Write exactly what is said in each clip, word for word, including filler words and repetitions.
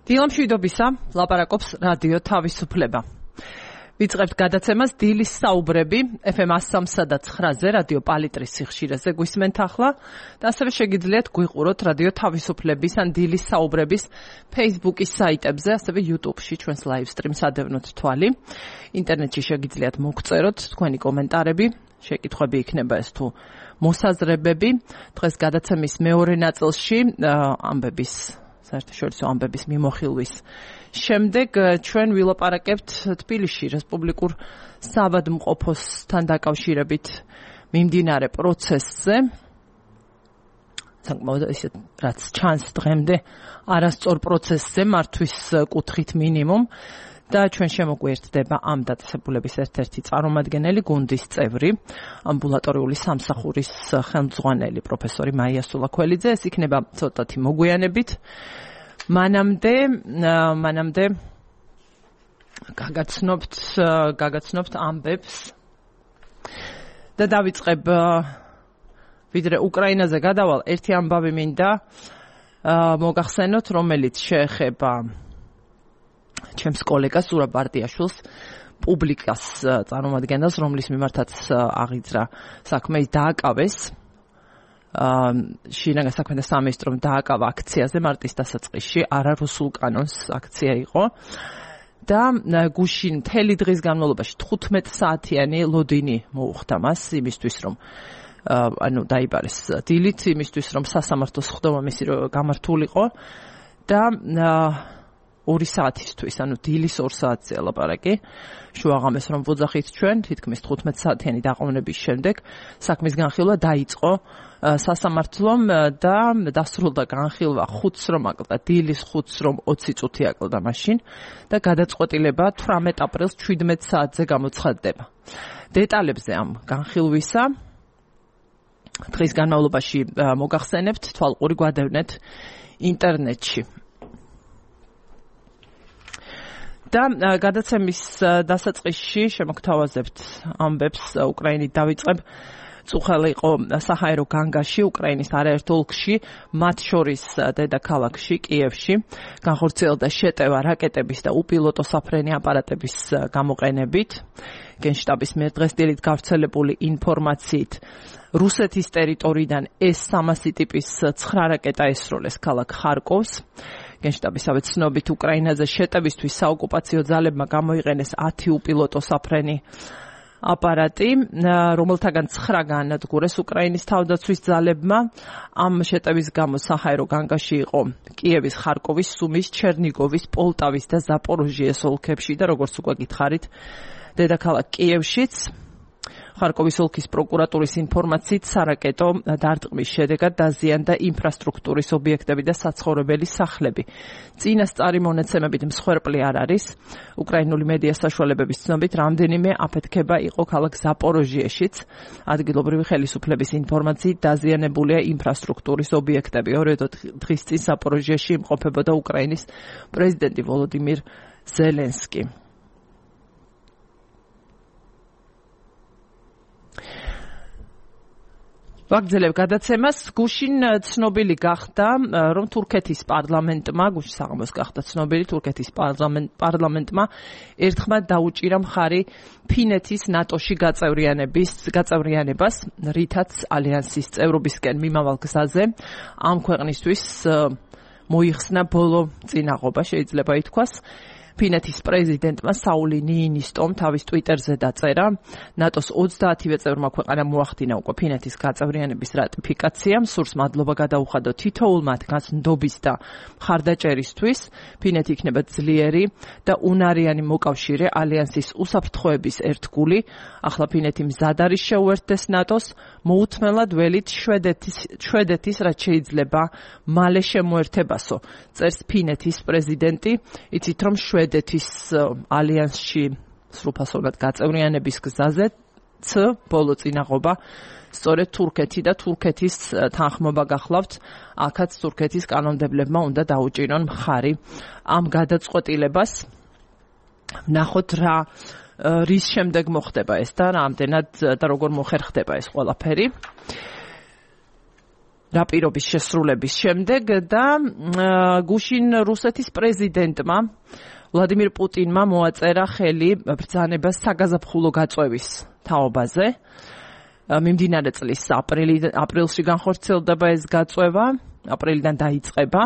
დილამშვიდობისა, ლაპარაკობს რადიო თავისუფლება. ვიწყებთ გადაცემას დილის საუბრები ეფ ემ one oh three და nine-ზე რადიო პალიტრის სიხშირეზე გვისმენთ ახლა და ასევე შეგიძლიათ გვიყუროთ რადიო თავისუფლების ან დილის საუბრების Facebook-ის საიტებზე, ასევე YouTube-ში ჩვენს live stream-ს ადევნოთ თვალი. ინტერნეტში შეგიძლიათ მოგწეროთ თქვენი კომენტარები, შეკითხვები იქნება ეს თუ მოსაზრებები. დღეს გადაცემის მეორე ნაწილში ამბების საერთაშორისო ამბების მიმოხილვის შემდეგ ჩვენ ვილაპარაკებთ თბილისში რესპუბლიკურ საავადმყოფოსთან დაკავშირებით მიმდინარე პროცესზე. საკმაოდ ისეთ რაც ჩანს დღემდე არასწორ პროცესზე მართვის კუთხით მინიმუმ და ჩვენ შემოგვიერთდება ამ დაწესებულების ერთ-ერთი წარმომადგენელი, გუნდის წევრი, ამბულატორიული სამსახურის ხელმძღვანელი პროფესორი მაია სულაქველიძე. ეს იქნება ცოტათი მოგვიანებით. მანამდე მანამდე გაგაცნობთ გაგაცნობთ ამბებს და დავიწყებ ვიდრე უკრაინაზე გადავალ ერთი ამბავი მინდა მოგახსენოთ, რომელიც შეეხება ჩემს კოლეგას ზურაბ ბარდიაშვილს, პუბლიკას წარმომადგენელს, რომლის მიმართაც აღიძრა საქმე, დააკავეს შინაგან საქმეთა სამინისტრომ დააკავა აქციაზე მარტის დასაწყისში, არა რუსულ კანონს აქცია იყო და გუშინ მთელი დღის განმავლობაში თხუთმეტ საათიანი ლოდინი მოუხდა მას იმისთვის, რომ ანუ დაიბარეს დილით, იმისთვის, რომ სასამართლოს ხდომა მისი გამართულიყო და ორი საათისთვის, ანუ დილის ორ საათზე ლაპარაკი, შუაღამეს რომ ვოძახით ჩვენ, თითქმის თხუთმეტ საათიანი დაყოვნების შემდეგ საქმის განხილვა დაიწყო სასამართლომ და დასრულდა განხილვა ხუთს რომ აკლდა, დილის ხუთს რომ ოცი წუთი აკლდა მაშინ და გადაწყვეტილება თვრამეტ აპრილს შვიდმეტ საათზე გამოცხადდება. დეტალებზე ამ განხილვისა დღის განმავლობაში მოგახსენებთ, თვალყური გვადევნეთ ინტერნეტში. და გადაცემის დასაწყისში შემოგთავაზებთ ამბებს უკრაინით დავიწყებ. წუხელი იყო საჰაერო განგაში, უკრაინის არაერთ ოლქში, მათ შორის დედაქალაქში, კიევში, განხორციელდა შეტევა რაკეტების და უპილოტო საფრენი აპარატების გამოყენებით. გენშტაბის მიერ დღეს დილით გავრცელებული ინფორმაციით რუსეთის ტერიტორიიდან ეს სამასი ტიპის ცხრა რაკეტა ესროლეს ქალაქ ხარკოვს. გენშტაბისავე ცნობით უკრაინაზე შეტევისთვის საოკუპაციო ძალებმა გამოიყენეს ათი უპილოტო საფრენი აპარატი, რომელთაგან ცხრა განადგურეს უკრაინის თავდაცვის ძალებმა. ამ შეტევის გამო საჰაერო განგაში იყო კიევის, ხარკოვის, სუმის, ჩერნიგოვის, პოლტავის და ზაპოროჟიეს ოლქებში და როგორც უკვე გითხარით, დედაქალაქ კიევშიც. ხარკოვის ოლქის პროკურატურის ინფორმაციით სარაკეტო დარტყმის შედეგად დაზიანდა ინფრასტრუქტურის ობიექტები და საცხოვრებელი სახლები. წინასწარი მონაცემებით მსხვერპლი არ არის. უკრაინული მედია საშუალებების ცნობით რამდენიმე აფეთქება იყო ქალაქ ზაპოროჟიეშიც. ადგილობრივი ხელისუფლების ინფორმაციით დაზიანებულია ინფრასტრუქტურის ობიექტები. ორი დღის წინ ზაპოროჟიეში იმყოფებოდა უკრაინის პრეზიდენტი ვოლოდიმირ ზელენსკი. ვაგრძელებ გადაცემას. გუშინ ცნობილი გახდა, რომ თურქეთის პარლამენტმა, გუშინ საღამოს გახდა ცნობილი, თურქეთის პარლამენტმა ერთხმად დაუჭირა მხარი ფინეთის ნატოში გაწევრიანების გაწევრიანებას, რითაც ალიანსის წევრობისკენ მიმავალ გზაზე ამ ქვეყნისთვის მოიხსნა ბოლო წინაღობა, შეიძლება ითქვას. ფინეთის პრეზიდენტმა საული ნიინისტომ თავის ტვიტერზე დაწერა, ნატოს ოცდაათივე წევრმა ქვეყანამ მოახდინა უკვე ფინეთის გაწევრიანების რატიფიკაციამ, სურს მადლობა გადაუხადო თითოეულ მათგანს ნდობის და მხარდაჭერისთვის. ფინეთი იქნება ძლიერი და უნარიანი მოკავშირე ალიანსის უსაფრთხოების ერთგული. ახლა ფინეთი მზად არის შეუერთდეს ნატოს, მოუთმელად ველით შვედეთის შვედეთის რაც შეიძლება მალე შემოერთებასო. წერს ფინეთის პრეზიდენტი, იცით რომ შვედეთის ალიანსში სრულფასოვნად გაწევრიანების გზაზე ც ბოლო წინაღობა სწორედ თურქეთი და თურქეთის თანხმობა გახლავთ. აქაც თურქეთის კანონმდებლებმა უნდა დაუჭირონ მხარი ამ გადაწყვეტილებას. ვნახოთ რა რის შემდეგ მოხდება ეს და რამდენად და როგორ მოხერხდება ეს ყველაფერი. რა პირობის შესრულების შემდეგ და გუშინ რუსეთის პრეზიდენტმა ვლადიმირ პუტინმა მოაწერა ხელი ბრძანებას საგაზაფხულო გაწვევის თაობაზე. მიმდინარე წლის აპრილში განხორციელდება ეს გაწვევა, აპრილიდან დაიწყება.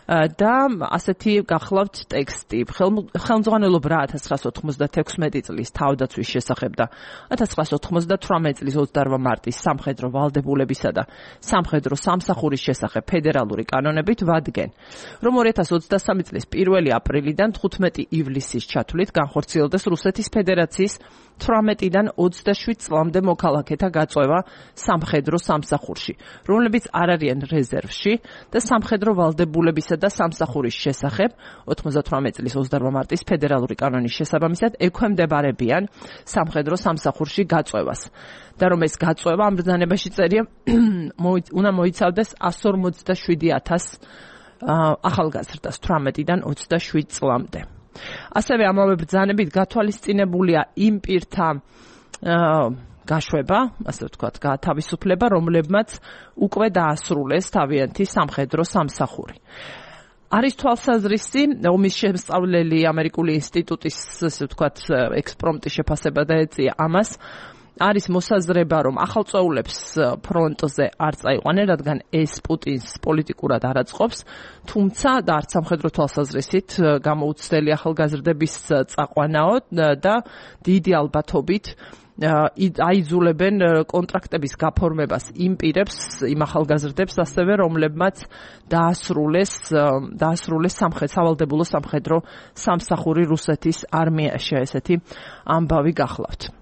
და ასეთი გახლავთ ტექსტი ხელმძღვანელობ რა ათას ცხრაასი ოთხმოცდათექვსმეტი წლის თავდაცვის შესახებ და ათას ცხრაასი ოთხმოცდათვრამეტი წლის ოცდაოთხ მარტის სამხედრო ვალდებულებისა და სამხედრო სამსახურის შესახებ ფედერალური კანონებით ვადგენ, რომ ორი ათას ოცდასამი წლის პირველი აპრილიდან თხუთმეტი ივლისის ჩათვლით განხორციელდეს რუსეთის ფედერაციის თვრამეტიდან ოცდაშვიდ წლამდე მოქალაქეთა გაწვევა სამხედრო სამსახურში, რომლებიც არ არიან რეზერვში და სამხედრო ვალდებულებისა და სამსახურის შესახებ ოთხმოცდათვრამეტი წლის ოცდაოთხ მარტის ფედერალური კანონის შესაბამისად ექვემდებარებიან სამხედრო სამსახურში გაწვევას და რომ ეს გაწვევა ამ ბრძანებაში წერია უნდა მოიცავდეს εκατს ორმოცდაშვიდი ათას ახალგაზრდას თვრამეტიდან ოცდაშვიდ წლამდე. ასევე ამავე ბრძანებით გათვალისწინებულია იმ პირთა გაშვება, ასე ვთქვათ, გათავისუფლება, რომლებმაც უკვე დაასრულეს თავიანთი სამხედრო სამსახური. არის თვალსაზრისი, ომის შემსწავლელი ამერიკული ინსტიტუტის, ასე ვთქვათ, ექსპრომტის შეფასება დაეწია ამას, არის მოსაზრება, რომ ახალწეულებს ფრონტზე არ წაიყვანენ, რადგან ეს პუტინს პოლიტიკურად არ აწყობს, თუმცა და არც სამხედრო თვალსაზრისით გამოუცდელი ახალგაზრდების წაყვანაო და დიდი ალბათობით აიძულებენ კონტრაქტების გაფორმებას იმ პირებს, იმ ახალგაზრდებს ასევე, რომლებმაც დაასრულეს დაასრულეს სავალდებულო სამხედრო სამსახური რუსეთის არმიაში, ესეთი ამბავი გახლავთ.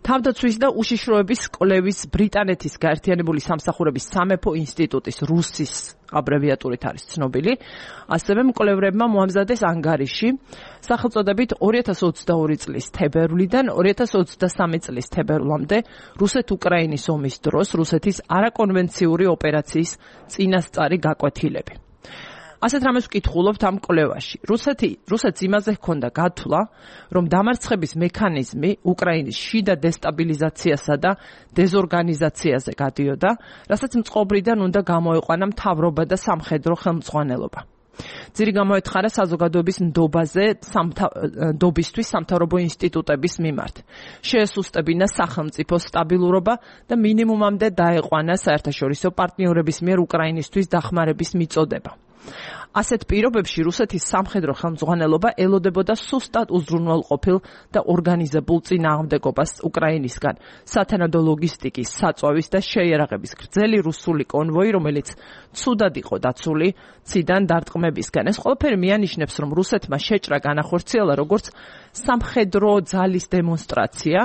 თავდაცვის და უშიშროების კვლევის ბრიტანეთის გაერთიანებული სამსახურების სამეფო ინსტიტუტის რუსის აბრევიატურით არის ცნობილი. ასევე მკვლევრებმა მოამზადეს ანგარიში სახელწოდებით ორი ათას ოცდაორი წლის თებერვლიდან ორი ათას ოცდასამი წლის თებერვლამდე რუსეთ-უკრაინის ომის დროს რუსეთის არაკონვენციური ოპერაციის წინასწარი გაკვეთილები. ასეთ რამეს ვკითხულობთ ამ კვლევაში. რუსეთი, რუსეთს იმაზე ჰქონდა გათვლა, რომ დამარცხების მექანიზმი უკრაინის შიდა დესტაბილიზაციასა და დეზორგანიზაციაზე გადიოდა, რასაც მწყობრიდან უნდა გამოეყვანა მთავრობა და სამხედრო ხელმძღვანელობა. ძირი გამოეთხარა საზოგადოების ნდობაზე ნდობისთვის სამთავრობო ინსტიტუტების მიმართ. შეესუსტებინა სახელმწიფო სტაბილურობა და მინიმუმამდე დაეყვანა საერთაშორისო პარტნიორების მიერ უკრაინისთვის დახმარების მიწოდება. ასეთ პირობებში რუსეთის სამხედრო ხელმძღვანელობა ელოდებოდა სუსტად უზრუნველყოფილ და ორგანიზებულ წინააღმდეგობას უკრაინისგან, სათანადო ლოგისტიკის, საწვავის და შეიარაღების გრძელი რუსული კონვოი, რომელიც ცუდად იყო დაცული ციდან დარტყმებისგან. ეს ყველაფერი მიანიშნებს, რომ რუსეთმა შეჭრა განახორციელა როგორც სამხედრო ძალის დემონსტრაცია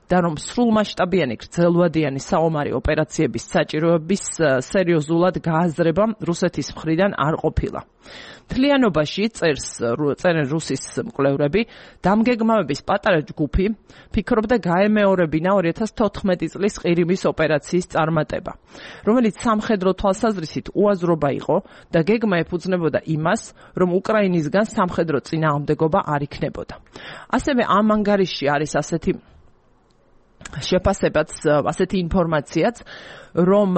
და რომ სრულმასშტაბიანი გრძელვადიანი საომარი ოპერაციების საჭიროების სერიოზულად გააზრება რუსეთის მხრიდან არ ყოფილა. მთლიანობაში წერს წერენ რუსის მკვლევრები, დამგეგმავების პატარა ჯგუფი ფიქრობდა გაემეორებინა ორი ათას თოთხმეტი წლის ყირიმის ოპერაციის წარმატება, რომელიც სამხედრო თვალსაზრისით უაზრობა იყო და გეგმა ეფუძნებოდა იმას, რომ უკრაინისგან სამხედრო წინააღმდეგობა არ იქნებოდა. ასევე ამ ანგარიში არის ასეთი შეფასებაც, ასეთი ინფორმაციაც, რომ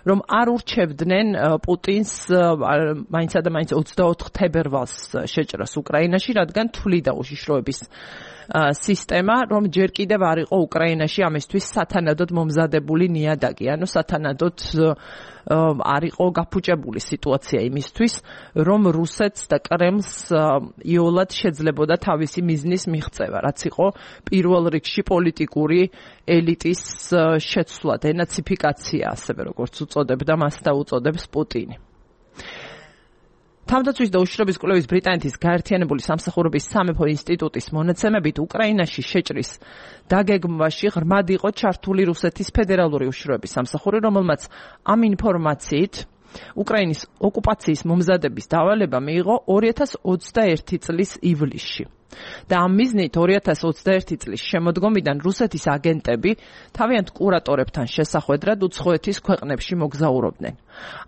რომ არ ურჩევდნენ პუტინს მაინცა და მაინც ოცდაოთხ თებერვალს შეჭრას უკრაინაში, რადგან თვლიდა უშიშროების სისტემა, რომ ჯერ კიდევ არ იყო უკრაინაში ამისთვის სათანადოდ მომზადებული ნიადაგი, ანუ სათანადოდ არ იყო გაფუჭებული სიტუაცია იმისთვის, რომ რუსეთს და კრემლს იოლად შეძლებოდა თავისი მიზნის მიღწევა, რაც იყო პირველ რიგში პოლიტიკური ელიტის შეცვლა, დენაციფიკაცია, ასევე როგორც უწოდებდა მას და უწოდებს პუტინი. თავდაცვის და უშიშროების კვლევის ბრიტანეთის გაერთიანებული სამსახურების სამეფო ინსტიტუტის მონაცემებით უკრაინაში შეჭრის დაგეგმვაში ღრმად იყო ჩართული რუსეთის ფედერალური უშიშროების სამსახური, რომელმაც ამ ინფორმაციით უკრაინის ოკუპაციის მომზადების დავალება მიიღო ორი ათას ოცდაერთი წლის ივლისში. და ამ მიზნით ორი ათას ოცდაერთი წლის შემოდგომიდან რუსეთის აგენტები თავიანთ კურატორებთან შესახვედრად უცხოეთის ქვეყნებში მოგზაურობდნენ.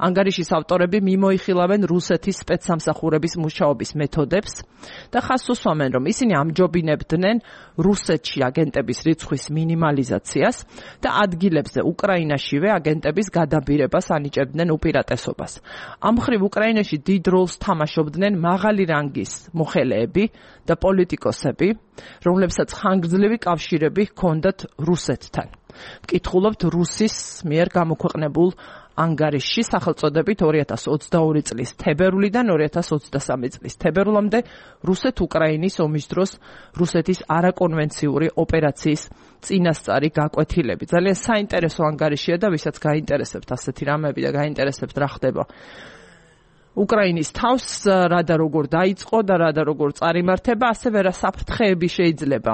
ანგარიშის ავტორები მიმოიხილავენ რუსეთის სპეცსამსახურების მუშაობის მეთოდებს და ხაზს უსვამენ, რომ ისინი ამჯობინებდნენ რუსეთში აგენტების რიცხვის მინიმალიზაციას და ადგილებზე უკრაინაშივე აგენტების გადაბირებას ანიჭებდნენ უპირატესობას. ამ მხრივ უკრაინაში დიდ როლს თამაშობდნენ მაღალი რანგის მოხელეები და პოლიტიკოსები, რომლებსაც ხანგრძლივი კავშირები ჰქონდათ რუსეთთან. ვკითხულობთ რუსის მიერ გამოქვეყნებულ ანგარიშში სახელწოდებით ორი ათას ოცდაორი წლის თებერვლიდან ორი ათას ოცდასამი წლის თებერვლამდე რუსეთ-უკრაინის ომის დროს რუსეთის არაკონვენციური ოპერაციის წინასწარი გაკვეთილები. ძალიან საინტერესო ანგარიშია და ვისაც გაინტერესებთ ასეთი რამები და გაინტერესებთ რა ხდება უკრაინის თავს, რა და როგორ დაიწყო და რა და როგორ წარიმართება, ასევე რა საფრთხეები შეიძლება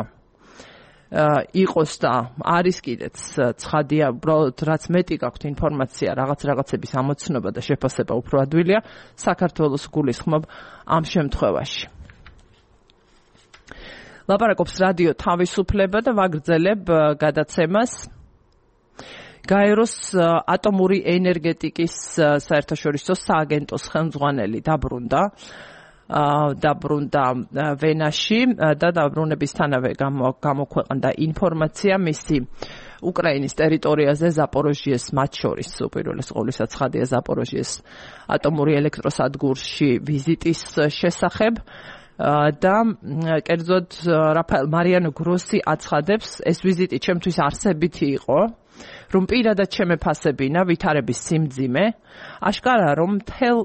იყოს და არის კიდეც ცხადია, უბრალოდ რაც მეტი გაქვთ ინფორმაცია, რაღაც რაღაცების ამოცნობა და შეფასება უფრო ადვილია, საქართველოს გულისხმობ ამ შემთხვევაში. ლაპარაკობს რადიო თავისუფლება და ვაგრძელებ გადაცემას. გაეროს ატომური ენერგეტიკის საერთაშორისო სააგენტოს ხელმძღვანელი დაბრუნდა. დაბრუნდა ვენაში და დაბრუნებისთანავე გამოქვეყნდა ინფორმაცია მისი უკრაინის ტერიტორიაზე ზაპოროჟიეს მათ შორის უპირველეს ყოვლისა ცხადია ზაპოროჟიეს ატომური ელექტროსადგურში ვიზიტის შესახებ და კერძოდ რაფაელ მარიანო გროსი აცხადებს, ეს ვიზიტი ჩემთვის არსებითი იყო, რომ პირადად შემეფასებინა ვითარების სიმძიმე, აშკარაა, რომ მთელ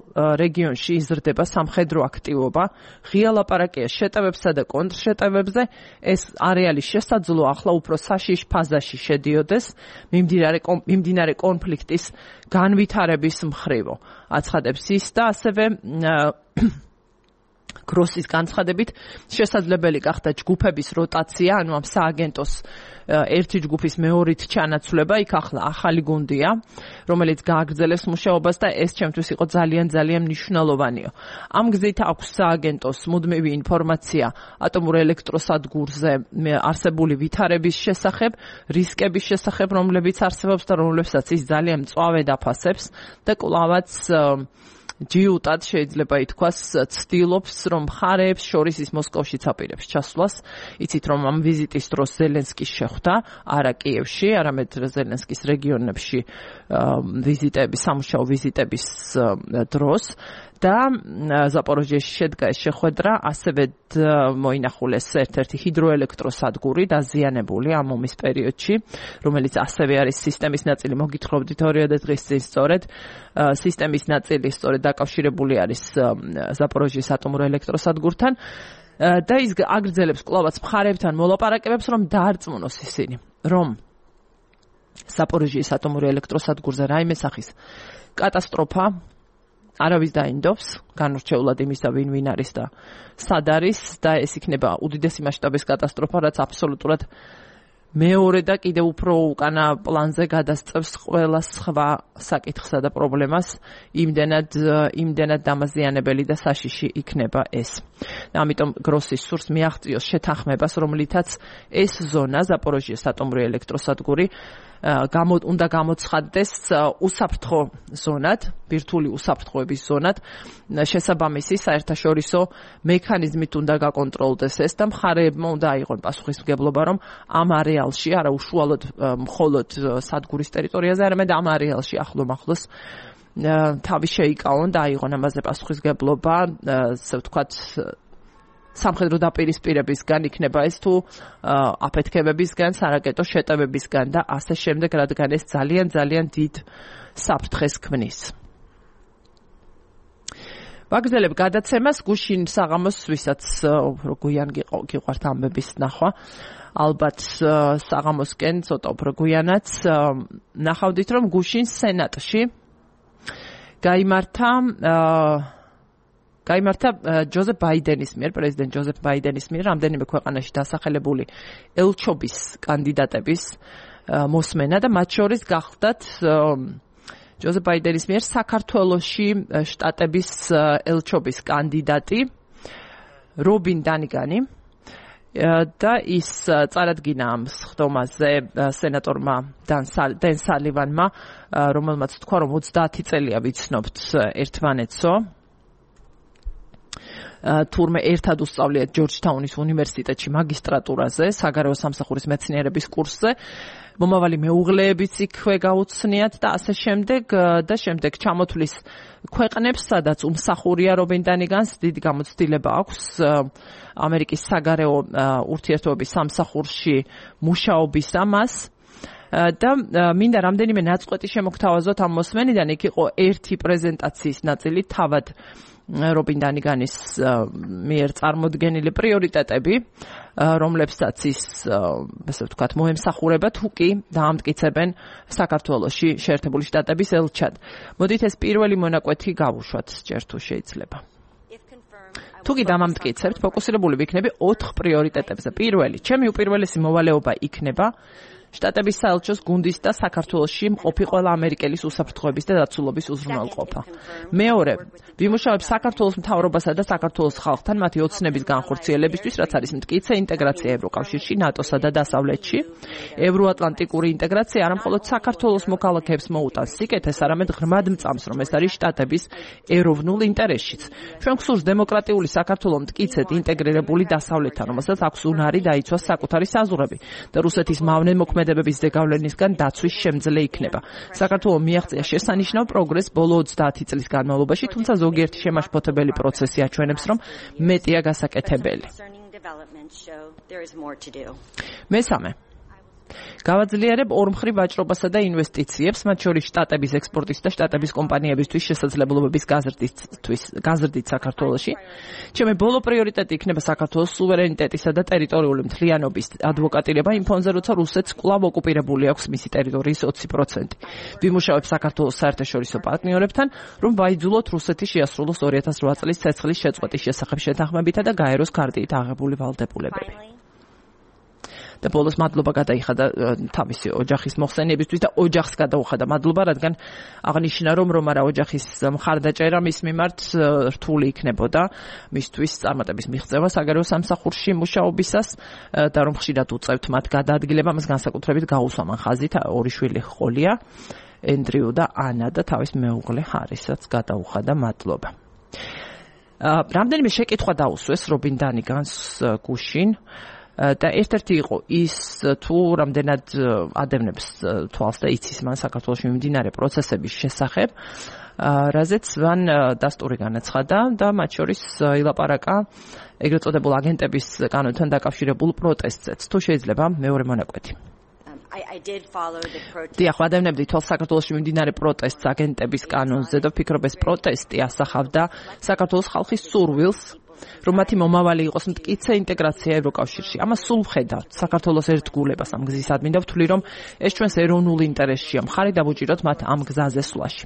რეგიონში იზრდება სამხედრო აქტივობა, ღია ლაპარაკია შეტევებსა და კონტრშეტევებზე, ეს არეალი შესაძლოა ახლა უფრო საშიშ ფაზაში შედიოდეს მიმდინარე კონფლიქტის განვითარების მხრივო. აცხადებს ის და ასევე გროსის განცხადებით შესაძლებელი გახდა ჯგუფების როტაცია, ანუ ამ სააგენტოს ერთი ჯგუფის მეორით ჩანაცვლება, იქ ახლა ახალი გუნდია, რომელიც გააგრძელებს მუშაობას და ეს ჩემთვის იყო ძალიან ძალიან მნიშვნელოვანია. ამ გზით აქვს სააგენტოს მუდმივი ინფორმაცია ატომურ ელექტროსადგურზე არსებული ვითარების შესახებ, რისკების შესახებ, რომლებიც არსებობს და რომლებსაც ის ძალიან მწვავედ აფასებს და კვლავაც ჯიუტად შეიძლება ითქვას ცდილობს, რომ მხარეებს შორის ის მოსკოვშიც აპირებს ჩასვლას. იცით, რომ ამ ვიზიტის დროს ზელენსკი შეხვდა არა კიევში, არამედ ზელენსკის რეგიონებში ვიზიტების, სამუშაო ვიზიტების დროს და ზაპოროჟიეში შედგა ეს შეხვედრა, ასევე მოინახულეს ერთ-ერთი ჰიდროელექტროსადგური დაზიანებული ამ ომის პერიოდში, რომელიც ასევე არის სისტემის ნაწილი. მოგითხრობდით ორიოდე დღის წინ სწორედ სისტემის ნაწილი სწორედ დაკავშირებული არის ზაპოროჟიეს ატომურ ელექტროსადგურთან და ის აგრძელებს კვლავაც მხარეებთან მოლაპარაკებებს, რომ დაარწმუნოს ისინი, რომ ზაპოროჟიეს ატომურ ელექტროსადგურზე რაიმე სახის კატასტროფა არავის დაინდობს, განურჩეულად იმის და ვინ ვინ არის და სად არის და ეს იქნება უდიდესი მასშტაბის კატასტროფა, რაც აბსოლუტურად მეორე და კიდევ უფრო უკანა პლანზე გადასწევს ყველა სხვა საკითხსა და პრობლემას, იმდენად იმდენად დამაზიანებელი და საშიში იქნება ეს. ამიტომ გროსის სურს მიაღწიოს შეთანხმებას, რომლითაც ეს ზონა ზაპოროჟიეს ატომური ელექტროსადგური გამო უნდა გამოცხადდეს უსაფრთხო ზონად, ბირთვული უსაფრთხოების ზონად, შესაბამისი საერთაშორისო მექანიზმით უნდა გაკონტროლდეს ეს და მხარეებმა უნდა აიღონ პასუხისმგებლობა, რომ ამ არეალში, არა უშუალოდ მხოლოდ სადგურის ტერიტორიაზე, არამედ ამ არეალში ახლომახლოს თავი შეიკავონ და აიღონ ამაზე პასუხისმგებლობა, ასე ვთქვათ, სამხედრო დაპირისპირებისგან იქნება ეს თუ აფეთქებებისგან, სარაკეტო შეტევებისგან და ასე შემდეგ, რადგან ეს ძალიან ძალიან დიდ საფრთხეს ქმნის. ვაგრძელებ გადაცემას გუშინ საღამოს, ვისაც უფრო გვიან გიყვართ ამბების ნახვა, ალბათ საღამოსკენ ცოტა უფრო გვიანაც ნახავდით, რომ გუშინ სენატში გაიმართა გაიმართა ჯოზეფ ბაიდენის მიერ, პრეზიდენტ ჯოზეფ ბაიდენის მიერ რამდენიმე ქვეყანაში დასახელებული ელჩობის კანდიდატების მოსმენა და მათ შორის გახლდათ ჯოზეფ ბაიდენის მიერ საქართველოში შტატების ელჩობის კანდიდატი რობინ დანიგანი, და ის წარადგინა ამ სხდომაზე სენატორმა დენ სალივანმა, რომელმაც თქვა, რომ ოცდაათი წელია ვიცნობთ ერთმანეთსო. თურმე ერთად უსწავლიათ ჯორჯთაუნის უნივერსიტეტში მაგისტრატურაზე, საგარეო სამსახურის მეცნიერების კურსზე. მომავალი მეუღლეებიც იქვე გაუცნიათ და ასე შემდეგ და შემდეგ ჩამოთვლის ქვეყნებს, სადაც უმსახურია რობინ დანიგანს, დიდი გამოცდილება აქვს ამერიკის საგარეო ურთიერთობების სამსახურში მუშაობის ამას. და მინდა რამდენიმე ნაწყვეტი შემოგთავაზოთ ამ მოსმენიდან. იქ იყო ერთი პრეზენტაციის ნაწილი, თავად რობინ დანიგანის მიერ წარმოდგენილი პრიორიტეტები, რომლებსაც ის, ასე ვთქვათ, მოემსახურება თუ კი დაამტკიცებენ საქართველოში შეერთებული შტატების ელჩად. მოდით ეს პირველი მონაკვეთი გავუშვათ, ჯერ თუ შეიძლება. თუ კი დამამტკიცებთ, ფოკუსირებული ვიქნები ოთხ პრიორიტეტებზე. პირველი, ჩემი უპირველესი მოვალეობა იქნება შტატების საელჩოს გუნდის და საქართველოში მყოფი ყველა ამერიკელის უსაფრთხოების და დაცულობის უზრუნველყოფა. მეორე, ვიმუშავებ საქართველოს მთავრობასა და საქართველოს ხალხთან მათი ოცნების განხორციელებისთვის, რაც არის მტკიცე ინტეგრაცია ევროკავშირში, ნატოსა და დასავლეთში. ევროატლანტიკური ინტეგრაცია არა მხოლოდ საქართველოს მოქალაქეებს მოუტანს სიკეთეს, არამედ ღრმად მწამს, რომ ეს არის შტატების ეროვნულ ინტერესშიც. ჩვენ გვსურს დემოკრატიული საქართველო მტკიცედ ინტეგრირებული დასავლეთთან, რომელსაც აქვს უნარი დაიცვას საკუთარი საზღვრები და რუსეთის მავნე მოქმედებების ზეგავლენისგან დაცვის შემძლე იქნება. საქართველო მიაღწია შესანიშნავ პროგრესს ბოლო ოცდაათი წლის განმავლობაში, თუმცა ზოგიერთი შემაშფოთებელი პროცესი აჩვენებს, რომ მეტია გასაკეთებელი. მესამე, გავაძლიერებ ორმხრივ ვაჭრობასა და ინვესტიციებს, მათ შორის შტატების ექსპორტის და შტატების კომპანიებისთვის შესაძლებლობების გაზრდისთვის, გაზრდით საქართველოში. ჩემი ბოლო პრიორიტეტი იქნება საქართველოს სუვერენიტეტისა და ტერიტორიული მთლიანობის ადვოკატირება იმ ფონზე, როცა რუსეთს კვლავ ოკუპირებული აქვს მისი ტერიტორიის ოცი პროცენტი. ვიმუშავებ საქართველოს საერთაშორისო პარტნიორებთან, რომ ვაიძულოთ რუსეთი შეასრულოს ორი ათას რვა წლის ცეცხლის შეწყვეტის შესახებ შეთანხმებითა და გაეროს ქარტით აღებული ვალდებულებები. და ბოლოს მადლობა გადაიხადა თავისი ოჯახის მოხსენიებისთვის და ოჯახს გადაუხადა მადლობა, რადგან აღნიშნა, რომ რომ არა ოჯახის მხარდაჭერა მის მიმართ რთული იქნებოდა მისთვის წარმატების მიღწევა საგარეო სამსახურში მუშაობისას და რომ ხშირად უწევთ მათ გადაადგილება, მას განსაკუთრებით გაუსვა მან ხაზით, ორი შვილი ჰყოლია, ენდრიუ და ანა და თავის მეუღლე ჰარისაც გადაუხადა მადლობა. რამდენიმე შეკითხვა დაუსვეს რობინ დანიგანს გუშინ. და ერთ-ერთი იყო ის, თუ რამდენად ადევნებს თვალს და იცის მან საქართველოში მიმდინარე პროცესების შესახებ, რაზეც მან დასტური განაცხადა და მათ შორის ილაპარაკა ეგრეთ წოდებულ აგენტების კანონთან დაკავშირებულ პროტესტზეც. თუ შეიძლება მეორე მონაკვეთი. დიახ, ვადევნებდი თვალს საქართველოში მიმდინარე პროტესტს აგენტების კანონზე და ვფიქრობ, ეს პროტესტი ასახავდა საქართველოს ხალხის სურვილს, რომ მათი მომავალი იყოს მტკიცე ინტეგრაცია ევროკავშირში. ამას სულ ვხედავთ საქართველოს ერთგულებას ამ გზის ადმინ და ვთვლი, რომ ეს ჩვენს ეროვნულ ინტერესშია, მხარი დავუჭიროთ მათ ამ გზაზე სვლაში.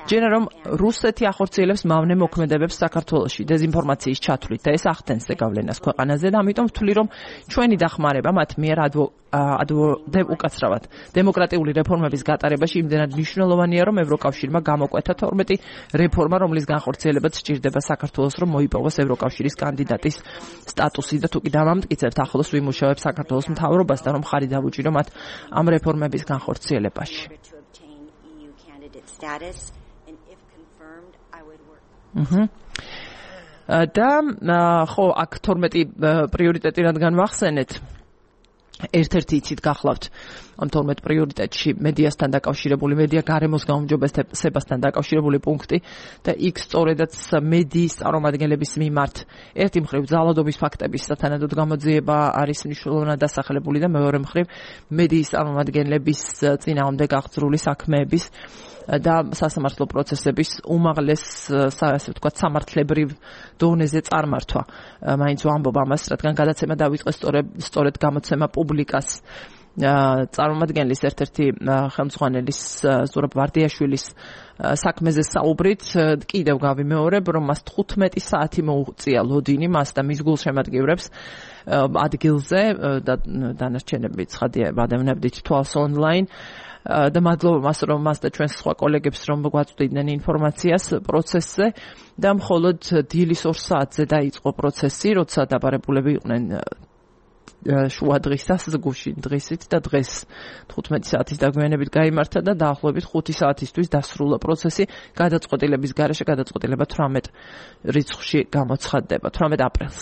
ჯერა რომ რუსეთი ახორციელებს მავნე მოქმედებებს საქართველოში დეზინფორმაციის ჩათვლით და ეს ახდენს ზეგავლენას ქვეყანაზე და ამიტომ ვთვლი, რომ ჩვენი დახმარება მათ მიერ ადვო უკაცრავად დემოკრატიული რეფორმების გატარებაში იმდენად მნიშვნელოვანია, რომ ევროკავშირმა გამოკვეთა თორმეტი რეფორმა, რომლის განხორციელებაც სჭირდება საქართველოს, რომ მოიპოვოს ევროკავშირის კანდიდატის სტატუსი და თუ კი დამამტკიცებთ, ახლოს ვიმუშავებ საქართველოს მთავრობას და რომ ხარი დავუჭირო მათ ამ რეფორმების განხორციელებაში. Mhm. და ხო, აქ თორმეტი პრიორიტეტი რადგან ვახსენეთ, ერთ-ერთი იცით გახლავთ ამ თორმეტ პრიორიტეტში მედიასთან დაკავშირებული, მედია გარემოს გაუმჯობესებასთან დაკავშირებული პუნქტი და იქ სწორედაც მედიის წარმომადგენლების მიმართ ერთი მხრივ ძალადობის ფაქტების სათანადოდ გამოძიება არის მნიშვნელოვნად დასახლებული და მეორე მხრივ მედიის წარმომადგენლების წინააღმდეგ აღძრული საქმეების და სასამართლო პროცესების უმაღლეს, ასე ვთქვათ, სამართლებრივ დონეზე წარმართვა. მაინც ვამბობ ამას, რადგან გადაცემა დავიწყეს სწორედ გამოცემა პუბლიკას წარმომადგენლის ერთ-ერთი ხელმძღვანელის ზურაბ ვარდიაშვილის საქმეზე საუბრით, კიდევ გავიმეორებ, რომ მას თხუთმეტი საათი მოუწია ლოდინი მას და მის გულშემატკივრებს ადგილზე და დანარჩენები ცხადია ვადევნებდით თვალს ონლაინ. და მადლობა მას, რომ მას და ჩვენს სხვა კოლეგებს რომ გვაწვდიდნენ ინფორმაციას პროცესზე და მხოლოდ დილის ორ საათზე დაიწყო პროცესი, როცა დაბარებულები იყვნენ შუა დღის დასგუში დღისით და დღეს თხუთმეტი საათის დაგვიანებით გაიმართა და დაახლოებით ხუთი საათისთვის დასრულდა პროცესი გადაწყვეტილების გარეშე გადაწყვეტილება თვრამეტ რიცხვში გამოცხადდება თვრამეტ აპრილს.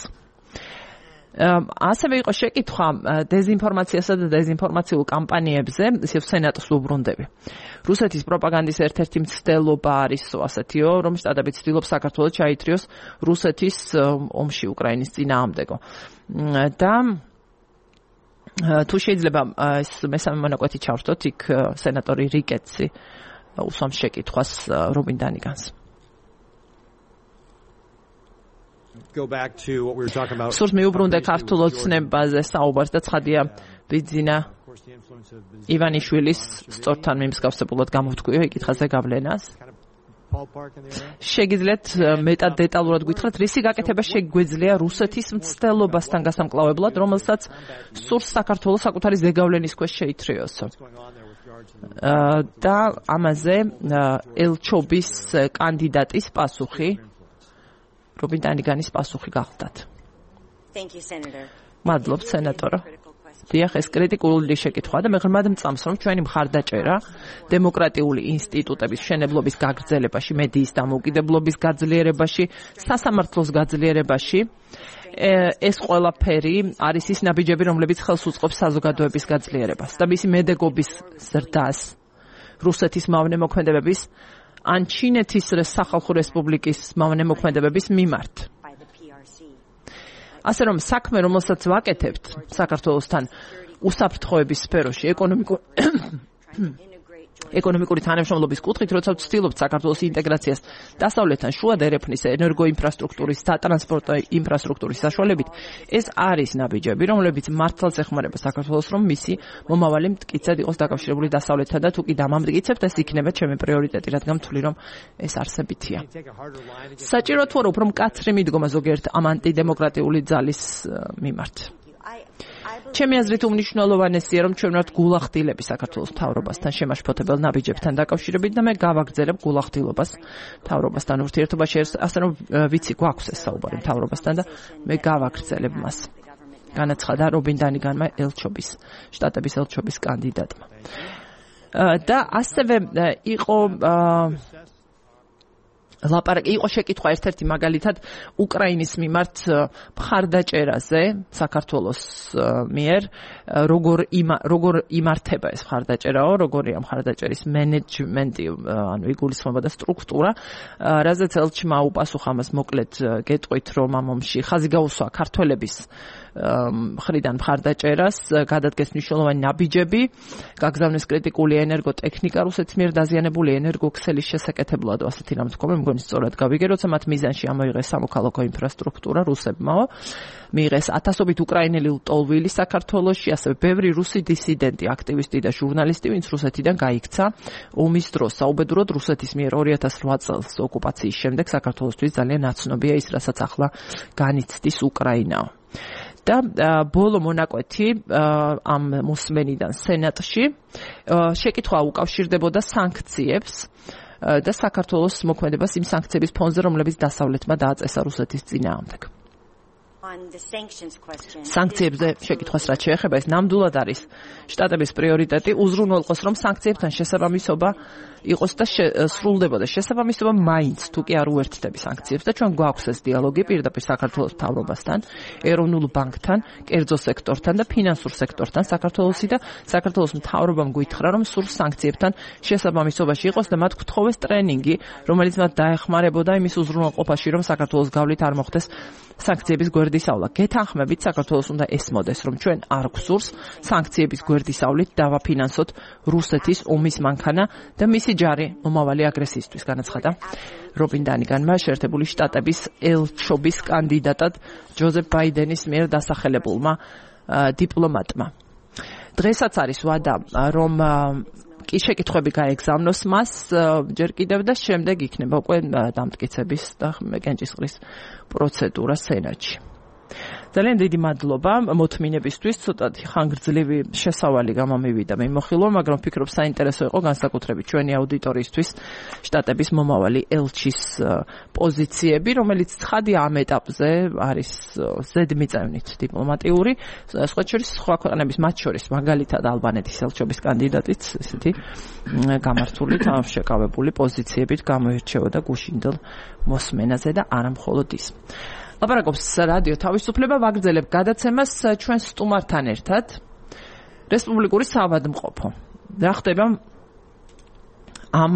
ასევე იყო შეკითხვა დეზინფორმაციასა და დეზინფორმაციულ კამპანიებზე, ისევ სენატს უბრუნდები. რუსეთის პროპაგანდის ერთ-ერთი მცდელობა არის ასეთიო, რომ შტატები ცდილობს საქართველოს ჩაითრიოს რუსეთის ომში უკრაინის წინააღმდეგო. და თუ შეიძლება ეს მესამე მონაკვეთი ჩავრთოთ, იქ სენატორი რიკეტსი უსვამს შეკითხვას რობინ დანიგანს. Go back to what we were talking about. სურს მიუბრუნდე ქართულ ოცნებაზე საუბარს და ცხადია ბიძინა ივანიშვილის სწორთან მიმსგავსებულად გამოვთქვიო ეკითხაზე გავლენას. შეგიძლიათ მეტად დეტალურად გითხრათ, რისი გაკეთება შეგვეძლია რუსეთის მცდელობასთან გასამკლავებლად, რომელსაც სურს საქართველოს საკუთარი ზეგავლენის ქვეშ შეითრიოსო. და ამაზე ელჩობის კანდიდატის პასუხი რობინ დანიგანის პასუხი გახლდათ. მადლობ სენატორო. დიახ, ეს კრიტიკული შეკითხვაა და მე ღრმად მწამს, რომ ჩვენი მხარდაჭერა დემოკრატიული ინსტიტუტების მშენებლობის გაგრძელებაში, მედიის დამოუკიდებლობის გაძლიერებაში, სასამართლოს გაძლიერებაში ეს ყველაფერი არის ის ნაბიჯები, რომლებიც ხელს უწყობს საზოგადოების გაძლიერებას და მისი მედეგობის ზრდას რუსეთის მავნე-მოქმედებების ან ჩინეთის სახალხო რესპუბლიკის მავნე-მოქმედებების მიმართ. ასე რომ საქმე, რომელსაც ვაკეთებთ საქართველოსთან უსაფრთხოების სფეროში, ეკონომიკური ეკონომიკური თანამშრომლობის კუთხით, როცა ვცდილობთ საქართველოს ინტეგრაციას დასავლეთთან შუა და ერეფნის ენერგოინფრასტრუქტურის, სატრანსპორტო ინფრასტრუქტურის საშუალებით, ეს არის ნაბიჯები, რომლებიც მართლაც ეხმარება საქართველოს, რომ მისი მომავალი მტკიცედ იყოს დაკავშირებული დასავლეთთან და თუ კი დამამტკიცებთ, ეს იქნება ჩემი პრიორიტეტი, რადგან ვთვლი, რომ ეს არსებითია. საჭირო თუ არა უფრო მკაცრი მიდგომა ზოგიერთ ამ ანტიდემოკრატიული ძალის მიმართ. ჩემი აზრით უმნიშვნელოვანესია, რომ ჩვენ ვართ გულახდილები საქართველოს მთავრობასთან შემაშფოთებელ ნაბიჯებთან დაკავშირებით და მე გავაგრძელებ გულახდილობას მთავრობასთან ურთიერთობაში, ასე რომ ვიცი გვაქვს ეს საუბარი მთავრობასთან და მე გავაგრძელებ მას. განაცხადა რობინ დანიგანმა ელჩობის, შტატების ელჩობის კანდიდატმა. და ასევე იყო ლაპარაკი იყო შეკითხვა ერთ-ერთი მაგალითად უკრაინის მიმართ მხარდაჭერაზე საქართველოს მიერ როგორ როგორ იმართება ეს მხარდაჭერაო, როგორია მხარდაჭერის მენეჯმენტი, ანუ იგულისხმება და სტრუქტურა, რაზეც ელჩმა უპასუხა მას მოკლედ გეტყვით, რომ ამ ომში ხაზი გაუსვა ქართველების მხრიდან მხარდაჭერას, გადადგეს მნიშვნელოვანი ნაბიჯები, გაგზავნეს კრიტიკული ენერგოტექნიკა რუსეთის მიერ დაზიანებული ენერგოქსელის შესაკეთებლად, ასეთი რამ თქვა, მე მგონი სწორად გავიგე, როცა მათ მიზანში ამოიღეს სამოქალაქო ინფრასტრუქტურა რუსებმაო, მიიღეს ათასობით უკრაინელი ლტოლვილი საქართველოში, ასევე ბევრი რუსი დისიდენტი, აქტივისტი და ჟურნალისტი, ვინც რუსეთიდან გაიქცა ომის დროს. საუბედუროდ რუსეთის მიერ ორი ათას ოთხ წელს ოკუპაციის შემდეგ საქართველოსთვის ძალიან ნაცნობია ის, რასაც ახლა განიცდის უკრაინაო. და ბოლო მონაკვეთი ამ მოსმენიდან სენატში შეკითხვა უკავშირდებოდა სანქციებს და საქართველოს მოქმედებას იმ სანქციების ფონზე, რომლებიც დასავლეთმა დააწესა რუსეთის წინააღმდეგ. სანქციებზე შეკითხვას რაც შეეხება, ეს ნამდვილად არის შტატების პრიორიტეტი, უზრუნველყოს, რომ სანქციებთან შესაბამისობა იყოს და სრულდებოდა შესაბამისობა მაინც, თუ კი არ უერთდები სანქციებს და ჩვენ გვაქვს ეს დიალოგი პირდაპირ საქართველოს მთავრობასთან, ეროვნულ ბანკთან, კერძო სექტორთან და ფინანსურ სექტორთან საქართველოსი და საქართველოს მთავრობამ გითხრა, რომ სურს სანქციებთან შესაბამისობაში იყოს და მათ გთხოვეს ტრენინგი, რომელიც მათ დაეხმარებოდა იმის უზრუნველყოფაში, რომ საქართველოს გავლით არ მოხდეს სანქციების გვერდისავლა. გეთანხმებით, საქართველოს უნდა ესმოდეს, რომ ჩვენ არ გვსურს სანქციების გვერდისავლით დავაფინანსოთ რუსეთის ომის მანქანა და მისი ჯარი მომავალი აგრესიისთვის, განაცხადა რობინ დანიგანმა შეერთებული შტატების ელჩობის კანდიდატად ჯოზეფ ბაიდენის მიერ დასახელებულმა დიპლომატმა. დღესაც არის ვადა, რომ კი შეკითხვები გაეგზავნოს მას ჯერ კიდევ და შემდეგ იქნება უკვე დამტკიცების და კენჭისყრის პროცედურა სენატში. ძალიან დიდი მადლობა მოთმინებისთვის, ცოტათი ხანგრძლივი შესავალი გამომივიდა მე მოხილვა, მაგრამ ვფიქრობ საინტერესო იყო განსაკუთრებით ჩვენი აუდიტორიისთვის შტატების მომავალი ელჩის პოზიციები, რომელიც ცხადია ამ ეტაპზე არის ზედმიწევნით დიპლომატიური, სხვა შორის სხვა ქვეყნების მათ შორის მაგალითად ალბანეთის ელჩობის კანდიდატიც ესეთი გამართული შეკავებული პოზიციებით გამოირჩეოდა გუშინდელ მოსმენაზე და არა მხოლოდ ის. ლაპარაკობს რადიო თავისუფლება, ვაგრძელებ გადაცემას ჩვენ სტუმართან ერთად. რესპუბლიკური საავადმყოფო. რა ხდება ამ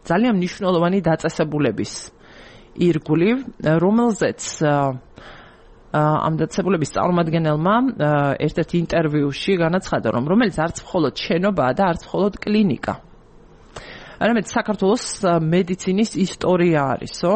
ძალიან მნიშვნელოვანი დაწესებულების ირგვლივ, რომელზეც ამ დაწესებულების წარმომადგენელმა ერთ-ერთ ინტერვიუში განაცხადა, რომ რომელიც არც მხოლოდ შენობაა და არც მხოლოდ კლინიკა. არამედ საქართველოს მედიცინის ისტორია არისო,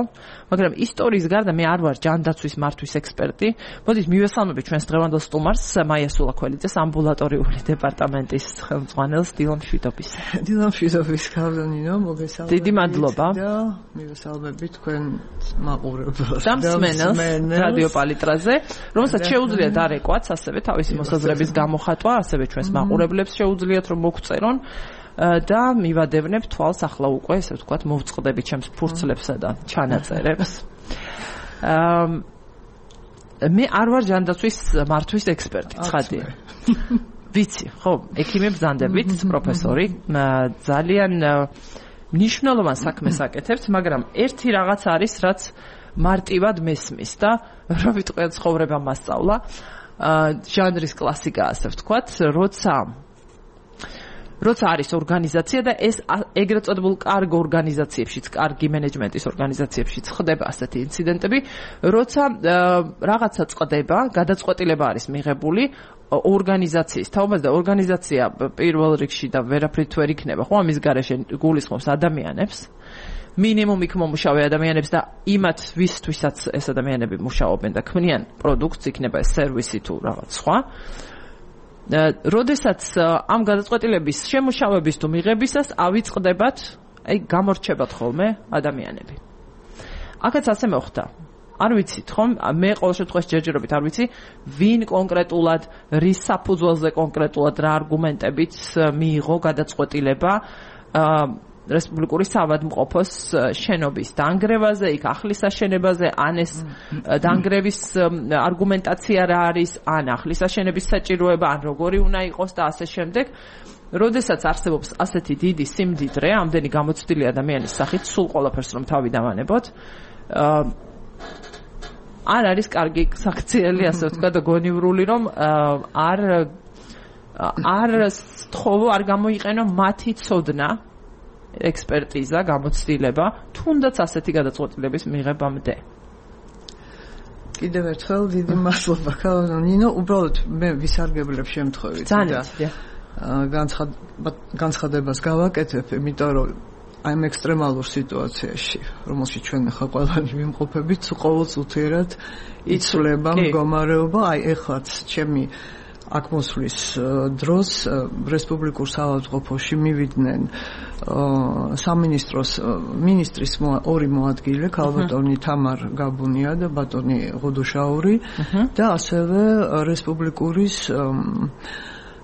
მაგრამ ისტორიის გარდა მე არ ვარ ჯანდაცვის მართვის ექსპერტი. მოდით მივესალმებით ჩვენს დღევანდელ სტუმარს მაია სულაქველიძეს, ამბულატორიული დეპარტამენტის ხელმძღვანელს დილამ შვიდობის. დილამ შვიდობის ქალბატონო, მოგესალმებით. დიდი მადლობა. და მივესალმებით თქვენ მაყურებლებს და მსმენელს რადიო პალიტრაზე, რომელსაც შეუძლიათ დარეკვაც ასევე თავისი მოსაზრების გამოხატვა, ასევე ჩვენს მაყურებლებს შეუძლიათ რომ მოგწერონ. და მივადევნებ თვალს ახლა უკვე ესე ვთქვათ მოვწყდები ჩემს ფურცლებსა და ჩანაწერებს. მე არ ვარ ჯანდაცვის მართვის ექსპერტი, ცხადია. ვიცი, ხო, ექიმი ბრძანდებით, პროფესორი, ძალიან მნიშვნელოვან საქმეს აკეთებს, მაგრამ ერთი რაღაც არის, რაც მარტივად მესმის და რა ვიტყვი ცხოვრება მასწავლა, ჟანრის კლასიკა ასე ვთქვათ, როცა როცა არის ორგანიზაცია და ეს ეგრეთ წოდებულ კარგ ორგანიზაციებშიც, კარგი მენეჯმენტის ორგანიზაციებშიც ხდება ასეთი ინციდენტები, როცა რაღაცა წყდება, გადაწყვეტილება არის მიღებული ორგანიზაციის თაობაზე და ორგანიზაცია პირველ რიგში და ვერაფრით ვერ იქნება, ხო, ამის გარეშე გულისხმობს ადამიანებს, მინიმუმ იქ მომუშავე ადამიანებს და იმათ ვისთვისაც ეს ადამიანები მუშაობენ და ქმნიან პროდუქტს, იქნება ეს სერვისი თუ რაღაც სხვა. როდესაც ამ გადაწყვეტილების შემუშავების თუ მიღებისას ავიწყდებათ, აი გამორჩებათ ხოლმე ადამიანები. აქაც ასე მოხდა. არ ვიცით ხომ, მე ყოველ შემთხვევაში ჯერჯერობით არ ვიცი, ვინ კონკრეტულად, რის საფუძველზე კონკრეტულად რა არგუმენტებით მიიღო გადაწყვეტილება რესპუბლიკური საავადმყოფოს შენობის დანგრევაზე, იქ ახლის აშენებაზე, ან ეს დანგრევის არგუმენტაცია რა არის, ან ახლის აშენების საჭიროება, ან როგორი უნდა იყოს და ასე შემდეგ. როდესაც არსებობს ასეთი დიდი სიმდიდრე, ამდენი გამოცდილი ადამიანის სახით, სულ ყველაფერს რომ თავი დავანებოთ, არ არის კარგი საქციელი, ასე ვთქვათ, გონივრული, რომ არ არ სწხოვო, არ გამოიყენო მათი ცოდნა, ექსპერტიზა, გამოცდილება, თუნდაც ასეთი გადაწყვეტილების მიღებამდე. კიდევ ერთხელ დიდი მადლობა, ნინო, უბრალოდ მე ვისარგებლებ შემთხვევით და განცხადებას გავაკეთებ, იმიტომ რომ აი ამ ექსტრემალურ სიტუაციაში, რომელშიც ჩვენ ხა ყველანი ვიმყოფებით, ყოველწუთიერად იცვლება მდგომარეობა, აი ეხლაც ჩემი აქ მოსვლის დროს რესპუბლიკურ საავადმყოფოში მივიდნენ სამინისტროს მინისტრის ორი მოადგილე, ქალბატონი თამარ გაბუნია და ბატონი ღუდუშაური და ასევე რესპუბლიკურის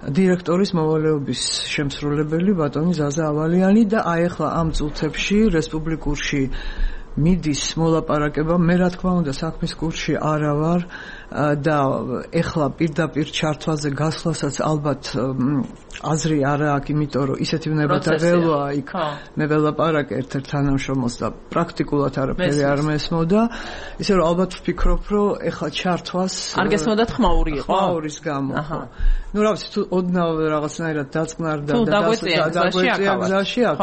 დირექტორის მოვალეობის შემსრულებელი ბატონი ზაზა ავალიანი და აი ახლა ამ წუთებში რესპუბლიკურში მიდის მოლაპარაკება, მე რა თქმა უნდა საქმის კურსში არა ვარ და ეხლა პირდაპირ ჩართვაზე გასვლასაც ალბათ აზრი არა აქვს, იმიტომ რომ ისეთი ვნებათა ველოა იქ მე ველაპარაკე ერთ-ერთ თანამშრომელს და პრაქტიკულად არაფერი არ მესმოდა, ისე რომ ალბათ ვფიქრობ, რომ ეხლა ჩართვას არ გესმოდათ ხმაური იყო? ხმაურის გამო. ну რა ვიცი, თუ ოდნავ რაღაცნაირად დაწყნარდა და დაგვეწია გზაში აქ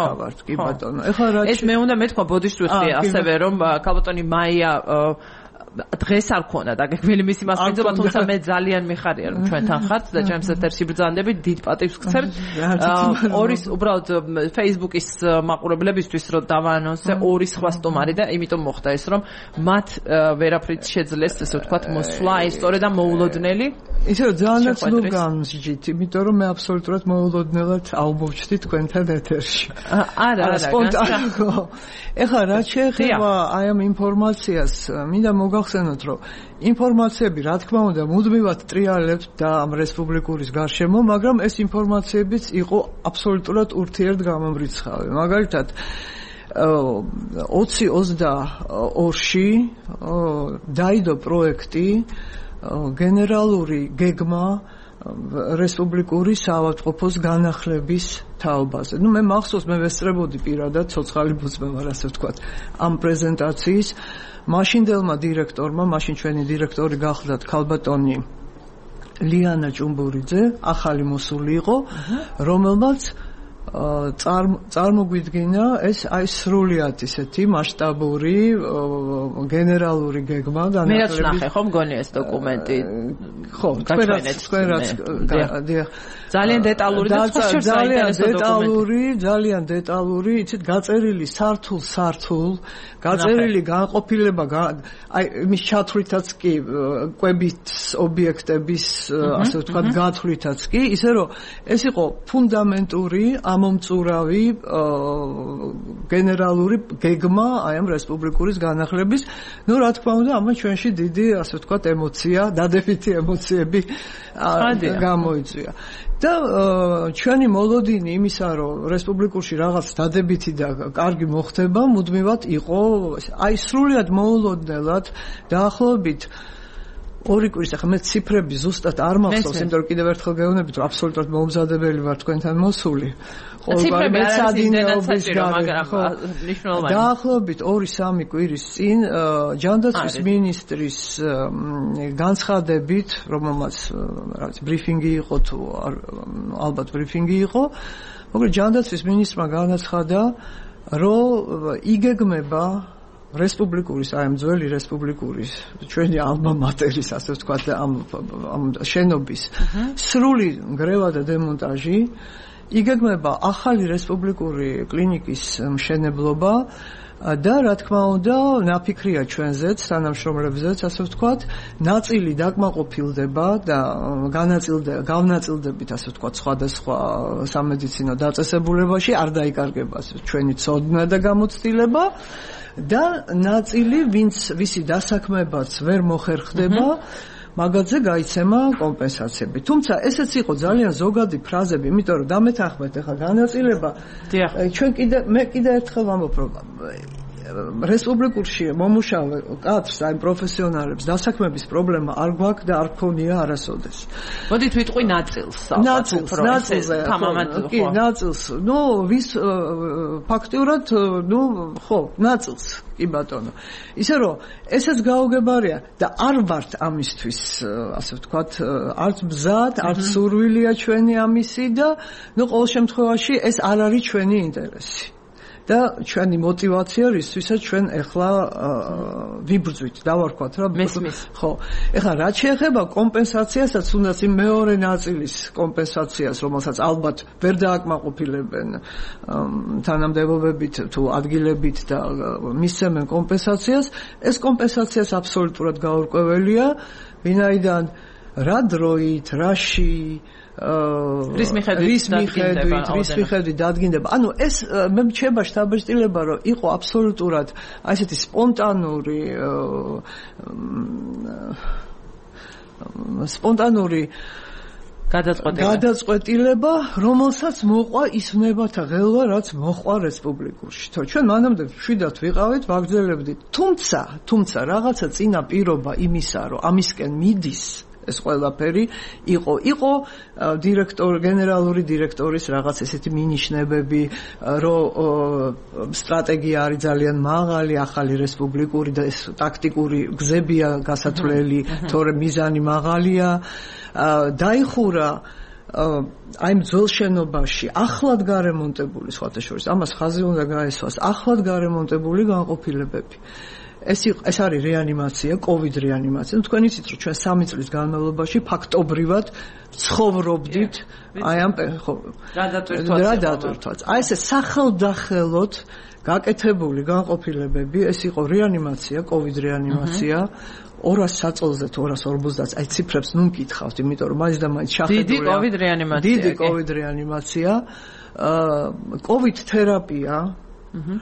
კი ბატონო. ეხლა რა ეს მე უნდა მეთქვა ბოდიშვიხი ასევე რომ ქალბატონი მაია დღეს არ ქონა და გეგმილი მისი მასპინძობა, თუმცა მე ძალიან მიხარია რომ ჩვენთან ხართ და ჩემს ეთერში ბრძანდებით, დიდ პატივს გცემთ. ორის უბრალოდ Facebook-ის მაყურებლებისთვის რომ დავაანონსე ორი სხვა სტუმარი და იმიტომ მოხდა ეს რომ მათ ვერაფრით შეძლეს ესე ვთქვათ მოსვლა, ეს სწორედ ამ მოულოდნელი. ისე რომ ძალიანაც ნუ გამსჯით, იმიტომ რომ მე აბსოლუტურად მოულოდნელად აუმოვჩდი თქვენთან ეთერში. არა, არა, სპონტანო. ეხლა რა შეეხება აი ამ ინფორმაციას, მინდა მოგა მოგახსენოთ, რომ ინფორმაციები, რა თქმა უნდა, მუდმივად ტრიალებთ და ამ რესპუბლიკურის გარშემო, მაგრამ ეს ინფორმაციებიც იყო აბსოლუტურად ურთიერთგამომრიცხავი. მაგალითად, ოცი ოცდაორში დაიდო პროექტი გენერალური გეგმა რესპუბლიკური საავადმყოფოს განახლების თაობაზე. ნუ მე მახსოვს, მე ვესწრებოდი პირადად, ცოცხალი ბუწმე ვარ, ასე ვთქვათ, ამ პრეზენტაციის მაშინდელმა დირექტორმა, მაშინ ჩვენი დირექტორი გახლდათ ქალბატონი ლიანა ჭუმბურიძე, ახალი მოსული იყო, რომელმაც წარმოგვიდგინა ეს აი სრულიად ისეთი მასშტაბური გენერალური გეგმა განახლების. მე ნახე ხო მგონი ეს დოკუმენტი. ხო, თქვენაც ძალიან დეტალური და ძალიან დეტალური, ძალიან დეტალური, იცით, გაწერილი სართულ-სართულ, გაწერილი განყოფილება, აი იმის ჩათვლითაც კი, კვებით ობიექტების, ასე ვთქვათ, გათვლითაც კი, ისე რომ ეს იყო ფუნდამენტური ამომწურავი გენერალური გეგმა აი ამ რესპუბლიკურის განახლების. ნუ რა თქმა უნდა, ამას ჩვენში დიდი, ასე ვთქვათ, ემოცია, დადებითი ემოციები გამოიწვია. და ჩვენი მოლოდინი იმისა, რომ რესპუბლიკურში რაღაც დადებითი და კარგი მოხდება, მუდმივად იყო აი სრულიად მოულოდნელად დაახლოებით ორი კვირის, ახლა მე ციფრები ზუსტად არ მახსოვს, იმიტომ რომ კიდევ ერთხელ გეუბნებით, რომ აბსოლუტურად მომზადებელი ვარ თქვენთან მოსული. ციფრები არ არის იმდენად საჭირო, მაგრამ მნიშვნელოვანი. დაახლოებით ორი სამი კვირის წინ ჯანდაცვის მინისტრის განცხადებით, რომელმაც რაღაც ბრიფინგი იყო თუ ალბათ ბრიფინგი იყო, მაგრამ ჯანდაცვის მინისტრმა განაცხადა, რომ იგეგმება რესპუბლიკურის, აი ამ ძველი რესპუბლიკურის, ჩვენი ალმა მატერის, ასე ვთქვათ, ამ ამ შენობის სრული ნგრევა და დემონტაჟი, იგეგმება ახალი რესპუბლიკური კლინიკის მშენებლობა და რა თქმა უნდა, ნაფიქრია ჩვენზეც, თანამშრომლებზეც, ასე ვთქვათ, ნაწილი დაკმაყოფილდება და განაწილდება, გავნაწილდებით, ასე ვთქვათ, სხვადასხვა სამედიცინო დაწესებულებაში, არ დაიკარგება ჩვენი ცოდნა და გამოცდილება. და ნაწილი, ვინც ვისი დასაქმებაც ვერ მოხერხდება, მაგაზე გაიცემა კომპენსაციები. თუმცა ესეც იყო ძალიან ზოგადი ფრაზები, იმიტომ რომ დამეთანხმეთ ახლა განაწილება. ჩვენ კიდე მე კიდე ერთხელ ვამბობ, რომ რესპუბლიკურში მომუშავე კადრს, აი პროფესიონალებს დასაქმების პრობლემა არ გვაქვს და არ გქონია არასოდეს. მოდით ვიტყვი ნაწილს. ნაწილს, ნაწილს, კი, ნაწილს. ნუ ვის ფაქტიურად, ნუ ხო, ნაწილს. კი ბატონო. ისე რომ ესეც გაუგებარია და არ ვართ ამისთვის, ასე ვთქვათ, არც მზად, არც სურვილია ჩვენი ამისი და ნუ ყოველ შემთხვევაში ეს არ არის ჩვენი ინტერესი. და ჩვენი мотивация რისთვისაც ჩვენ ეხლა ვიბრძვით, დავარქვათ რა. ხო. ეხლა რა შეეხება კომპენსაციასაც, თუნდაც იმ მეორე ნაწილის კომპენსაციას, რომელსაც ალბათ ვერ დააკმაყოფილებენ თანამდებობებით თუ ადგილებით და მისცემენ კომპენსაციას, ეს კომპენსაციას აბსოლუტურად გაურკვეველია, ვინაიდან რა დროით, რაში რის მიხედვით რის მიხედვით დადგინდება. ანუ ეს მე მჩება შთაბეჭდილება, რომ იყო აბსოლუტურად აი ესეთი სპონტანური სპონტანური გადაწყვეტილება, რომელსაც მოყვა ის ვნებათა ღელვა, რაც მოყვა რესპუბლიკურში. თო ჩვენ მანამდე მშვიდად ვიყავით, ვაგრძელებდით. თუმცა, თუმცა რაღაცა წინა პირობა იმისა, რომ ამისკენ მიდის ეს ყველაფერი იყო იყო დირექტორ გენერალური დირექტორის რაღაც ესეთი მინიშნებები, რომ სტრატეგია არის ძალიან მაღალი, ახალი რესპუბლიკური და ეს ტაქტიკური გზებია გასათვლელი, თორემ მიზანი მაღალია. დაიხურა აი ძველ შენობაში ახლად გარემონტებული, სხვათა შორის ამას ხაზი უნდა გაესვას, ახლად გარემონტებული განყოფილებები. ეს ეს არის რეანიმაცია, COVID რეანიმაცია. თქვენ იცით, რომ ჩვენ სამი წლის განმავლობაში ფაქტობრივად ცხოვრობდით აი ამ ხო რა დატვირთვაც. აი ესე სახელდახელოდ გაკეთებული განყოფილებები, ეს იყო რეანიმაცია, COVID რეანიმაცია. ორას საწოლზე თუ ორას ორმოცდაათს, აი ციფრებს ნუ მკითხავთ, იმიტომ რომ მაინც და მაინც შეხედული. დიდი COVID რეანიმაცია. დიდი COVID რეანიმაცია, COVID თერაპია. აჰა.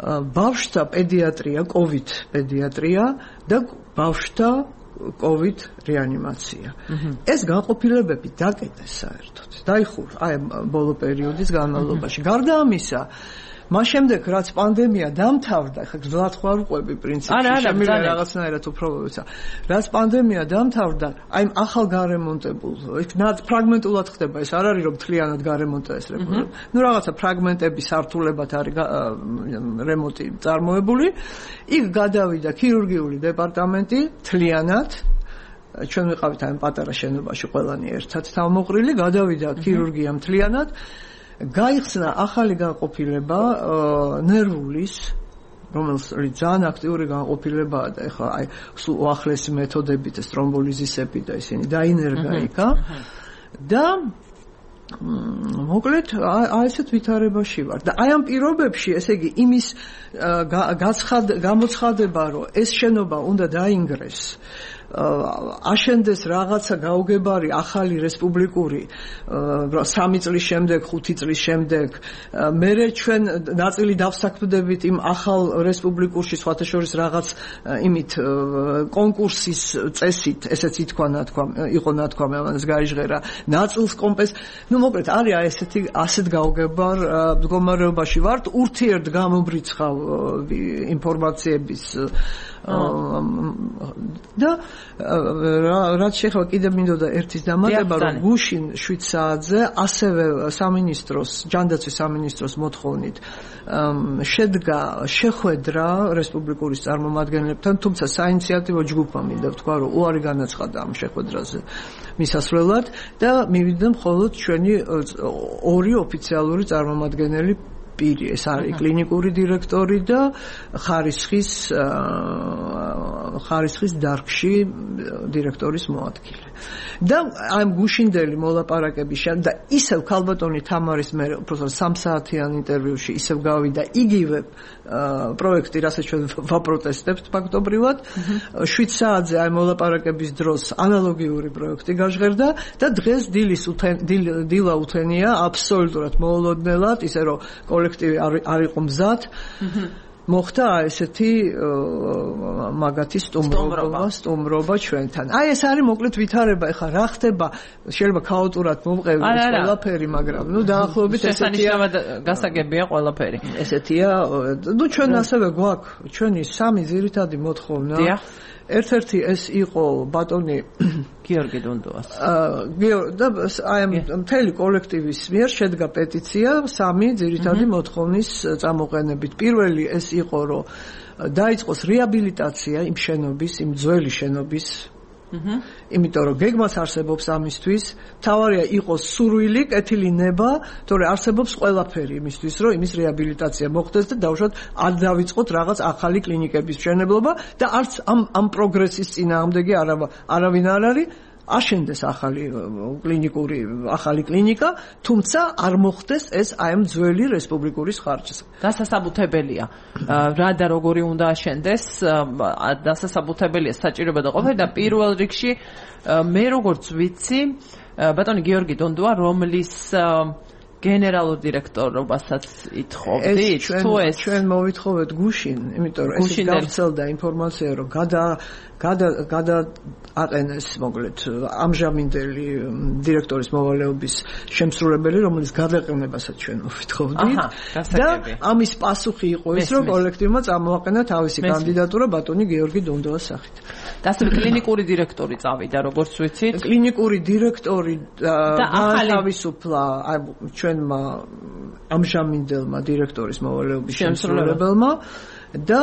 ბავშვთა პედიატრია, COVID პედიატრია და ბავშვთა COVID რეანიმაცია. ეს განყოფილებები დაკეტეს საერთოდ. დაიხურა აი ბოლო პერიოდის განმავლობაში. გარდა ამისა, მას შემდეგ რაც პანდემია დამთავრდა, ხა გზად ხარ უყვები პრინციპში, შემიძლია რაღაცნაირად უფრო ვიცა. რაც პანდემია დამთავრდა, აი ახალ გარემონტებულ, იქ ფრაგმენტულად ხდება, ეს არ არის რომ მთლიანად გარემონტა ეს რეგულარულად. ნუ რაღაცა ფრაგმენტების სართულებად არის რემონტი წარმოებული. იქ გადავიდა ქირურგიული დეპარტამენტი მთლიანად. ჩვენ ვიყავით ამ პატარა შენობაში ყველანი ერთად თავმოყრილი, გადავიდა ქირურგია მთლიანად. გაიხსნა ახალი განყოფილება ნერვulis, რომელიც ძალიან აქტიური განყოფილებაა და ეხლა აი სულ უახლესი მეთოდებით ეს თრომბოლიზისები და ისინი დაინერგა იქა და მოკლედ აი ესეთ ვითარებაში ვარ და აი ამ პირობებში ესე იგი იმის გამოცხადება რომ ეს შენობა უნდა დაინგრეს აშენდეს რაღაცა გაუგებარი ახალი რესპუბლიკური სამი წლის შემდეგ, ხუთი წლის შემდეგ მერე ჩვენ ნაწილი დავსაქმდებით იმ ახალ რესპუბლიკურში სხვათა შორის რაღაც იმით კონკურსის წესით, ესეც ითქვა ნათქვა, იყო ნათქვა ამას გაიჟღერა ნაწილს კომპენს. ნუ მოკლედ არის აი ესეთი ასეთ გაუგებარ მდგომარეობაში ვართ, ურთიერთ გამობრიცხავ ინფორმაციების და რაც შეხება კიდე მინდოდა ერთის დამატება რომ გუშინ შვიდ საათზე ასევე სამინისტროს ჯანდაცვის სამინისტროს მოთხოვნით შედგა შეხვედრა რესპუბლიკური წარმომადგენლებთან თუმცა საინიციატივო ჯგუფმა მინდა ვთქვა რომ უარი განაცხადა ამ შეხვედრაზე მისასვლელად და მივიდა მხოლოდ ჩვენი ორი ოფიციალური წარმომადგენელი პირი ეს არის კლინიკური დირექტორი და ხარისხის ხარისხის დარგში დირექტორის მოადგილე. და ამ გუშინდელი მოლაპარაკების შემდეგ და ისევ ქალბატონი თამარის მე უბრალოდ სამ საათიან ინტერვიუში ისევ გავიდა იგივე პროექტი, რასაც ჩვენ ვაპროტესტებთ ფაქტობრივად. შვიდ საათზე აი მოლაპარაკების დროს ანალოგიური პროექტი გაჟღერდა და დღეს დილის დილა უთენია აბსოლუტურად მოულოდნელად, ისე რომ კოლექტივი არ იყო მზად. მოხდა ესეთი მაგათი სტუმრობა, სტუმრობა ჩვენთან. აი ეს არის მოკლედ ვითარება, ეხლა რა ხდება, შეიძლება ქაოტურად მომყევდეს ყველაფერი, მაგრამ ნუ დაახლოებით ესეთია გასაგებია ყველაფერი. ესეთია, ნუ ჩვენ ასევე გვაქვს ჩვენი სამი ძირითადი მოთხოვნა. ერთ-ერთი ეს იყო ბატონი გიორგი დუნდუას. და აი მთელი კოლექტივის მიერ შედგა პეტიცია სამი ძირითადი მოთხოვნის წამოყენებით. პირველი ეს იყო, რომ დაიწყოს რეაბილიტაცია იმ შენობის, იმ ძველი შენობის. იმიტომ რომ გეგმაც არსებობს ამისთვის, თავარია იყოს სურვილი, კეთილი ნება, თორე არსებობს ყველაფერი იმისთვის, რომ იმის რეაბილიტაცია მოხდეს და დავუშვათ არ დავიწყოთ რაღაც ახალი კლინიკების მშენებლობა და არც ამ ამ პროგრესის წინააღმდეგი არავინ არ არის. აშენდეს ახალი კლინიკური ახალი კლინიკა, თუმცა არ მოხდეს ეს აი ამ ძველი რესპუბლიკური ხარჯზე. დასასაბუთებელია. რა და როგორი უნდა აშენდეს, დასასაბუთებელია საჭიროება და ყოფილი და პირველ რიგში მე როგორც ვიცი, ბატონი გიორგი დონდუა, რომლის გენერალურ დირექტორობასაც ითხოვდით, თუ ეს ჩვენ მოვითხოვეთ გუშინ, იმიტომ რომ ეს გავრცელდა ინფორმაცია, რომ გადა გადა გადა აყენეს მოკლედ ამჟამინდელი დირექტორის მოვალეობის შემსრულებელი, რომელიც გადაყენებასაც ჩვენ მოვითხოვდით და ამის პასუხი იყო ის, რომ კოლექტივმა წამოაყენა თავისი კანდიდატურა ბატონი გიორგი დონდოას სახით. და ასე კლინიკური დირექტორი წავიდა, როგორც ვიცით. კლინიკური დირექტორი თავისუფლა ჩვენმა ამჟამინდელმა დირექტორის მოვალეობის შემსრულებელმა და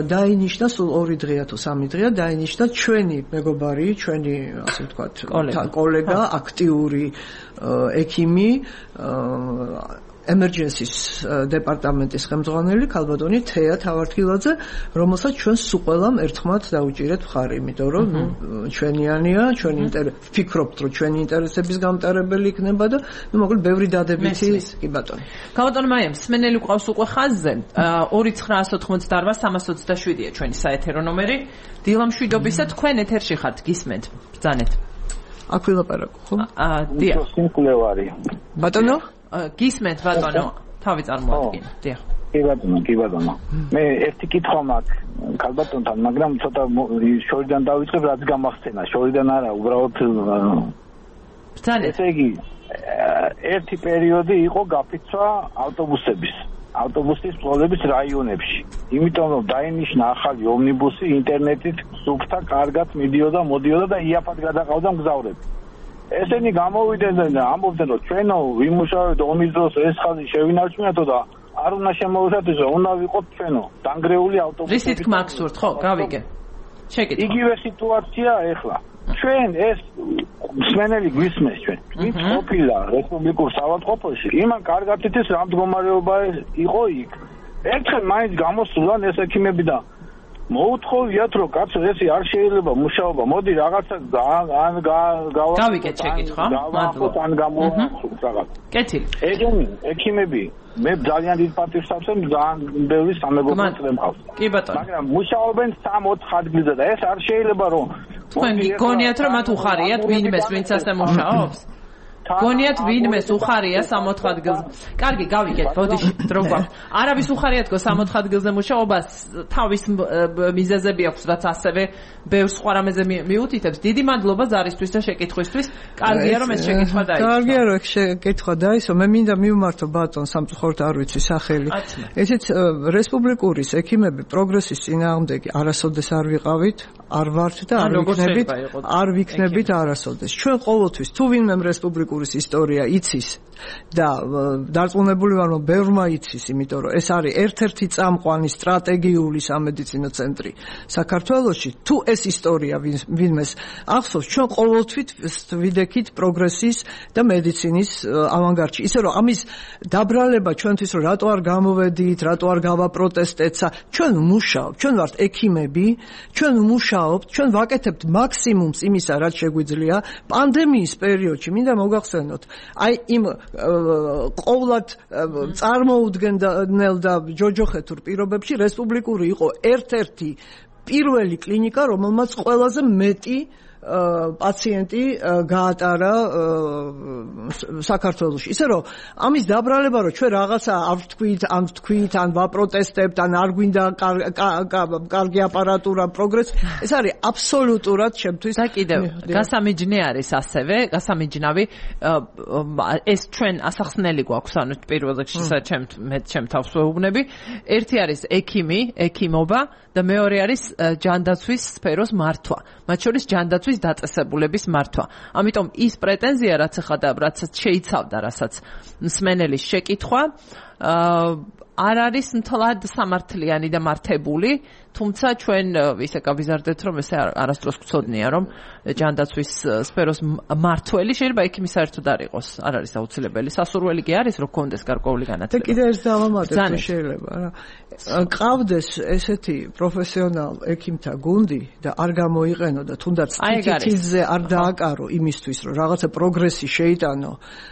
დაინიშნა სულ ორი დღეა თუ სამი დღეა დაინიშნა ჩვენი მეგობარი, ჩვენი ასე ვთქვათ, კოლეგა, აქტიური ექიმი, emergencies დეპარტამენტის ხელმძღვანელი ქალბატონი თეა თავართხილაძე, რომელსაც ჩვენ სულ ყველამ ერთხმად დაუჭირეთ მხარი, იმიტომ რომ ჩვენიანია, ჩვენ ვფიქრობთ, რომ ჩვენი ინტერესების გამტარებელი იქნება და ნუ მოკლედ ბევრი დადებითი კი ბატონი. ქალბატონი მაიამ, სმენელი ყავს უკვე ხაზზე. ორი ცხრაას ოთხმოცდაარბა სამას ოცდაშვიდია ჩვენი საეთერო ნომერი. დილამშვიდობისა, თქვენ ეთერში ხართ, გისმენთ. ბრძანეთ. აქ ვილაპარაკო, ხო? აა, დიახ. სიმკვლევარი. ბატონო? გისმენთ ბატონო, თავი წარმოადგინე. დიახ. კი ბატონო, კი ბატონო. მე ერთი კითხვა მაქვს ქალბატონთან, მაგრამ ცოტა შორიდან დავიწყებ, რაც გამახსენა. შორიდან არა, უბრალოდ ესე იგი ერთი პერიოდი იყო გაფიცვა ავტობუსების, ავტობუსის ფლოტების რაიონებში. იმიტომ რომ დაინიშნა ახალი ომნიბუსი ინტერნეტით სუფთა კარგად მიდიოდა, მოდიოდა და იაფად გადაყავდა მგზავრები. ესენი გამოვიდნენ და ამბობდნენ რომ ჩვენო ვიმუშავებთ ომის დროს ეს ხაზი შევინარჩუნეთო და არ უნდა შემოუშვათ ისე, უნდა ვიყოთ ჩვენო დანგრეული ავტობუსები. რისი თქმა გსურთ, ხო, გავიგე. შეკითხვა. იგივე სიტუაცია ახლა. ჩვენ ეს მსმენელი გვისმეს ჩვენ. ვინც ყოფილა რესპუბლიკურ საავადმყოფოში, იმან კარგად იცის რა მდგომარეობა იყო იქ. ერთხელ მაინც გამოსულან ეს ექიმები და მოუთხოვიათ რომ კაცო ესე არ შეიძლება მუშაობა, მოდი რაღაცა ან გავა გავიგეთ შეკითხვა, მადლობა. ან გამოვახსოვთ რაღაც. კეთილი. ეგენი ექიმები მე ძალიან დიდ პატივს ავსემ, ძალიან ბევრი სამეგობრო მყავს. კი ბატონო. მაგრამ მუშაობენ სამ-ოთხ ადგილზე და ეს არ შეიძლება რომ თქვენ გონიათ რომ მათ უხარიათ ვინმეს ვინც ასე მუშაობს? გონიათ ვინმეს უხარია სამ-ოთხ ადგილზე? კარგი, გავიგეთ, ბოდიში დრო გვაქვს. არავის უხარიათ გო სამ-ოთხ ადგილზე მუშაობას, თავის მიზეზები აქვს, რაც ასევე ბევრ სხვა რამეზე მიუთითებს. დიდი მადლობა ზარისთვის და შეკითხვისთვის. კარგია რომ ეს შეკითხვა დაისვა. კარგია რომ ეს შეკითხვა დაისვა. მე მინდა მივმართო ბატონ სამწუხაროდ არ ვიცი სახელი. ესეც რესპუბლიკური ექიმები პროგრესის წინააღმდეგი არასოდეს არ ვიყავით, არ ვართ და არ ვიქნებით, არ ვიქნებით არასოდეს. ჩვენ ყოველთვის თუ ვინმე რესპუბლიკური ისტორია იცის და დარწმუნებული ვარ რომ ბევრმა იცის, იმიტომ რომ ეს არის ერთ-ერთი წამყვანი სტრატეგიული სამედიცინო ცენტრი საქართველოში. თუ ეს ისტორია ვინმეს ახსოვს, ჩვენ ყოველთვის ვიდექით პროგრესის და მედიცინის ავანგარდში. ისე რომ ამის დაბრალება ჩვენთვის რომ რატო არ გამოვედით, რატო არ გავაპროტესტეცა, ჩვენ მუშაობთ, ჩვენ ვართ ექიმები, ჩვენ მუშაობთ, ჩვენ ვაკეთებთ მაქსიმუმს იმისა, რაც შეგვიძლია პანდემიის პერიოდში. მინდა მოგახსენოთ, აი იმ ყოვლად წარმოუდგენელ და ჯოჯოხეთურ პირობებში რესპუბლიკური იყო ერთ-ერთი პირველი კლინიკა, რომელმაც ყველაზე მეტი პაციენტი გაატარა საქართველოში. ისე რომ ამის დაბრალება რომ ჩვენ რაღაცა არ ვთქვით, ან ვთქვით, ან ვაპროტესტებთ, ან არ გვინდა კარგი აპარატურა, პროგრესი, ეს არის აბსოლუტურად ჩემთვის. და კიდევ გასამიჯნე არის ასევე, გასამიჯნავი ეს ჩვენ ასახსნელი გვაქვს, ანუ პირველ რიგში ჩემ მე ჩემ თავს ვეუბნები. ერთი არის ექიმი, ექიმობა და მეორე არის ჯანდაცვის სფეროს მართვა. მათ შორის ჯანდაცვის დაწესებულების მართვა. ამიტომ ის პრეტენზია, რაც ახლა რაც შეიცავდა, რასაც მსმენელის შეკითხვა, არ არის მთლად სამართლიანი და მართებული, თუმცა ჩვენ ისე გავიზარდეთ, რომ ესე არასდროს გვცოდნია, რომ ჯანდაცვის სფეროს მართველი შეიძლება ექიმი საერთოდ არ იყოს. არ არის აუცილებელი. სასურველი კი არის, რომ გქონდეს გარკვეული განათლება. და კიდევ ერთ დავამატებ, შეიძლება რა. ყავდეს ესეთი პროფესიონალ ექიმთა გუნდი და არ გამოიყენოდა, თუნდაც თითილზე არ დააკარო იმისთვის, რომ რაღაცა პროგრესი შეიტანო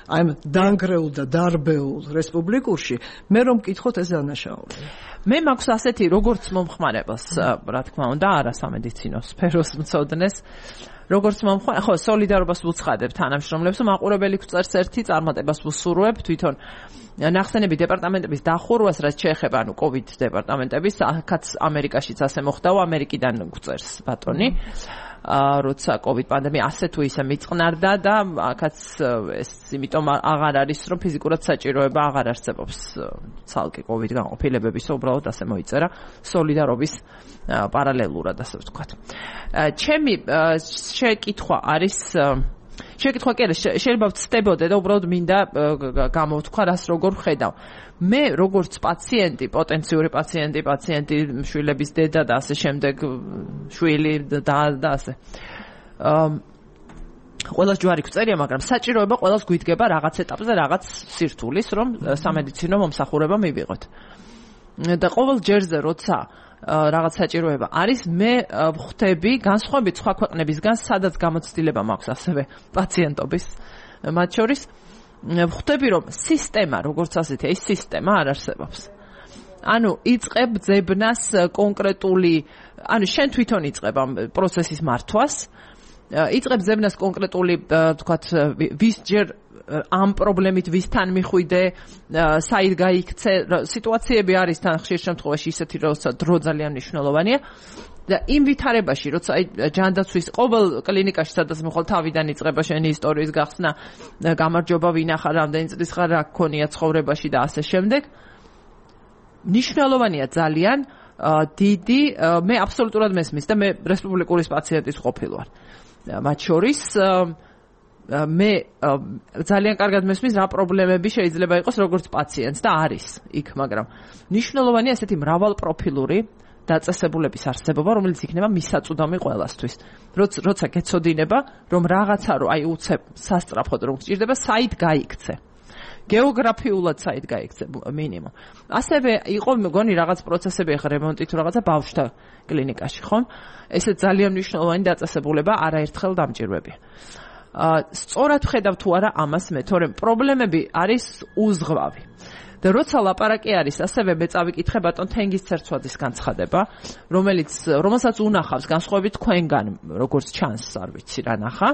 აი დანგრეულ და დარბეულ რესპუბლიკურში, მე რომ მკითხოთ ეს დანაშაულია. მე მაქვს ასეთი როგორც მომხმარებელს, რა თქმა უნდა, არა სამედიცინო სფეროს მცოდნეს, როგორც მომხმარებელს, ხო, სოლიდარობას ვუცხადებ თანამშრომლებს, მაყურებელი გვწერს ერთი წარმატებას ვუსურვებ თვითონ ნახსენები დეპარტამენტების დახურვას, რაც შეეხება ანუ COVID დეპარტამენტების, აქაც ამერიკაშიც ასე მოხდაო, ამერიკიდან გვწერს ბატონი. როცა COVID პანდემია ასე თუ ისე მიწყნარდა და აქაც ეს იმიტომ აღარ არის რომ ფიზიკურად საჭიროება აღარ არსებობს ცალკე COVID განყოფილებების, უბრალოდ ასე მოიწერა სოლიდარობის პარალელურად, ასე ვთქვათ. ჩემი შეკითხვა არის შეკითხვა კი არა, შეიძლება ვწდებოდე და უბრალოდ მინდა გამოვთქვა რას როგორ ვხედავ. მე როგორც პაციენტი, პოტენციური პაციენტი, პაციენტი, შვილების დედა და ასე შემდეგ, შვილი და და ასე. ყველას ჯვარი გვწერია, მაგრამ საჭიროება ყველას გვიდგება რაღაც ეტაპზე, რაღაც სირთულის, რომ სამედიცინო მომსახურება მივიღოთ. და ყოველ ჯერზე როცა რაღაც საჭიროება არის, მე ვხვდები განსხვავებით სხვა ქვეყნებისგან, სადაც გამოცდილება მაქვს ასევე პაციენტობის, მათ შორის ვხვდები რომ სისტემა, როგორც ასეთი, ეს სისტემა არ არსებობს. ანუ იწყებ ძებნას კონკრეტული, ანუ შენ თვითონ იწყებ ამ პროცესის მართვას იწყებს ზებნას კონკრეტული თქვათ ვისჯერ ამ პრობლემით ვისთან მიხვიდე, საით გაიქცე, სიტუაციები არის თან ხშირ შემთხვევაში ისეთი, როცა დრო ძალიან მნიშვნელოვანია. და იმ ვითარებაში, როცა აი ჯანდაცვის ყოველ კლინიკაში, სადაც მოხვალ თავიდან იწყება შენი ისტორიის გახსნა, გამარჯობა ვინახარ, რამდენი წლის ხარ, რა გქონია ცხოვრებაში და ასე შემდეგ. მნიშვნელოვანია ძალიან დიდი, მე აბსოლუტურად მესმის და მე რესპუბლიკურის პაციენტის ყოფილი ვარ. მათ შორის მე ძალიან კარგად მესმის რა პრობლემები შეიძლება იყოს როგორც პაციენტს და არის იქ, მაგრამ მნიშვნელოვანია ესეთი მრავალპროფილური დაწესებულების არსებობა, რომელიც იქნება მისაწვდომი ყველასთვის. როცა გეცოდინება, რომ რაღაცა რო აი უცებ სასწრაფოდ რომ გჭირდება, საით გაიქცე. გეოგრაფიულად საით გაიქცე მინიმუმ. ასევე იყო მგონი რაღაც პროცესები ახლა რემონტით თუ რაღაცა ბავშვთა კლინიკაში, ხომ? ესე ძალიან მნიშვნელოვანი დაწესებულება არაერთხელ დამჭირვებია. სწორად ვხედავ თუ არა ამას მე, თორემ პრობლემები არის უზღვავი. და როცა ლაპარაკი არის, ასევე მე წავიკითხე ბატონ თენგის ცერცვაძის განცხადება, რომელიც რომელსაც უნახავს განსხვავებით თქვენგან, როგორც ჩანს, არ ვიცი რა ნახა,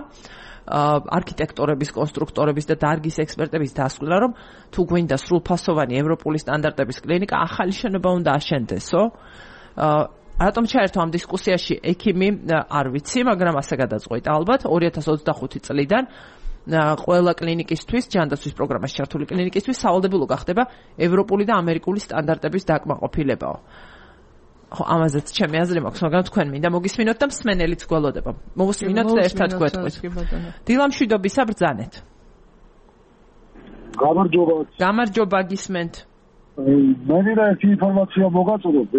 არქიტექტორების, კონსტრუქტორების და დარგის ექსპერტების დასკვნა, რომ თუ გვინდა სრულფასოვანი ევროპული სტანდარტების კლინიკა, ახალი შენობა უნდა აშენდესო. რატომ ჩაერთო ამ დისკუსიაში ექიმი, არ ვიცი, მაგრამ ასე გადაწყვეტ ალბათ ორი ათას ოცდახუთი წლიდან ყველა კლინიკისთვის, ჯანდაცვის პროგრამაში ჩართული კლინიკისთვის სავალდებულო გახდება ევროპული და ამერიკული სტანდარტების დაკმაყოფილებაო. ხო, ამაზეც ჩემი აზრი მაქვს, მაგრამ თქვენ მინდა მოგისმინოთ და მსმენელიც გველოდება. მოვუსმინოთ და ერთად გვეტყვით. დილამშვიდობისა ბრძანეთ. გამარჯობა. გამარჯობა, გისმენთ. მე მინდა ერთი ინფორმაცია მოგაწოდოთ,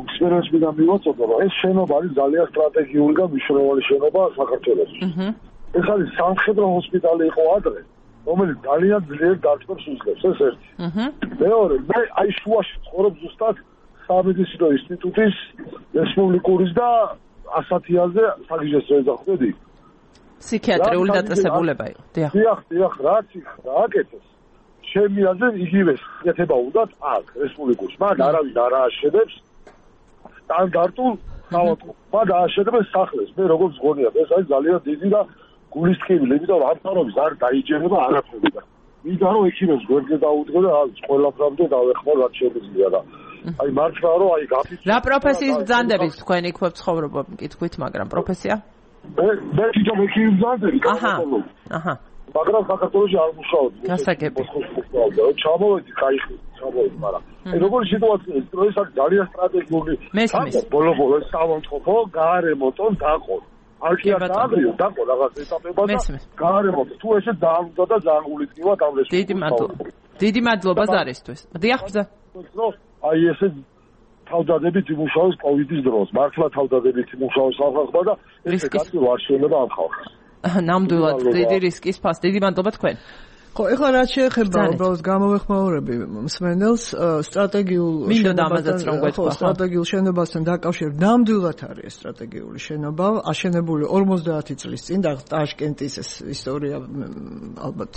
მსმენელს მინდა მივაწოდო, რომ ეს შენობა არის ძალიან სტრატეგიული და მნიშვნელოვანი შენობა საქართველოში. აჰა. ეს არის სამხედრო ჰოსპიტალი იყო ადრე, რომელიც ძალიან ძლიერ დარტყმებს უძლებს, ეს ერთი. აჰა. მეორე, მე აი შუაში ცხოვრობ ზუსტად სამედიცინო ინსტიტუტის რესპუბლიკურის და ასათიაზე საგიჟეს ეძახდები. ფსიქიატრიული დაწესებულება იყო. დიახ. დიახ, დიახ, რაც გააკეთეს. ჩემი აზრით იგივე შეკეთება უნდათ აქ რესპუბლიკურში. მაგ არავინ არ ააშენებს სტანდარტულ საავადმყოფოს, ააშენებს სახლებს. მე როგორც გონია, ეს არის ძალიან დიდი და გულისხმობილი, იმიტომ რომ ამთავრობის არ დაიჯერება არაფერი და მინდა რომ ექიმებს გვერდზე დაუდგო და ყველაფრამდე დავეხმარ რაც შემიძლია და აი მართლა რომ აი გაფიცი რა პროფესიის ბრძანდებით თქვენ იქ ცხოვრობა მკითხვით, მაგრამ პროფესია? მე მე თვითონ ექიმი ბრძანდები გააკეთებდი. აჰა. მაგრამ საქართველოში არ მუშაობდი. გასაგები. ჩამოვედი, кайხი, ჩამოვედი, მაგრამ აი როგორი სიტუაცია ის ეს არის ძალიან სტრატეგიული. მესმის. ბოლო-ბოლო საავადმყოფო გაარემონტონ დაყო. არქია დააგრიო, დაყო რაღაც ეტაპებად და გაარემონტო. თუ ესე დაამდა და ზანგულიტკივა დამრეშ. დიდი მადლობა. დიდი მადლობა ზარისთვის. დიახ, ბრძა. აი ესე თავდადებით იმუშაოს კოვიდის დროს. მართლა თავდადებით იმუშაოს ხალხმა და ეს კაცი არ შეიძლება ამ ხალხს. ნამდვილად დიდი რისკის ფას. დიდი მადლობა თქვენ. ხო, ეხლა რაც შეეხება უბრალოდ გამოვეხმაურები მსმენელს სტრატეგიულ შენობას, სტრატეგიულ შენობასთან დაკავშირებით, ნამდვილად არის სტრატეგიული შენობა, აშენებული ორმოცდაათი წლის წინ და ტაშკენტის ეს ისტორია ალბათ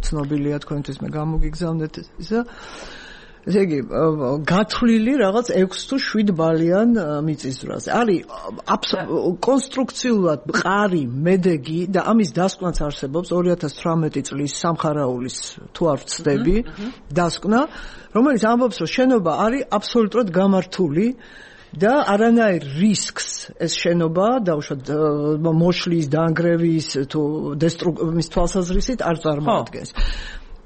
ცნობილია თქვენთვის, მე გამოგიგზავნეთ ისა. ესე იგი, გათვლილი რაღაც ექვს თუ შვიდ ბალიან მიწისძვრაზე. არის კონსტრუქციულად მყარი, მედეგი და ამის დასკვნაც არსებობს ორი ათას თვრამეტი წლის სამხარაულის თუ არ ვცდები დასკვნა, რომელიც ამბობს, რომ შენობა არის აბსოლუტურად გამართული და არანაირ რისკს ეს შენობა დაუშვათ მოშლის, დანგრევის თუ დესტრუქციის თვალსაზრისით არ წარმოადგენს.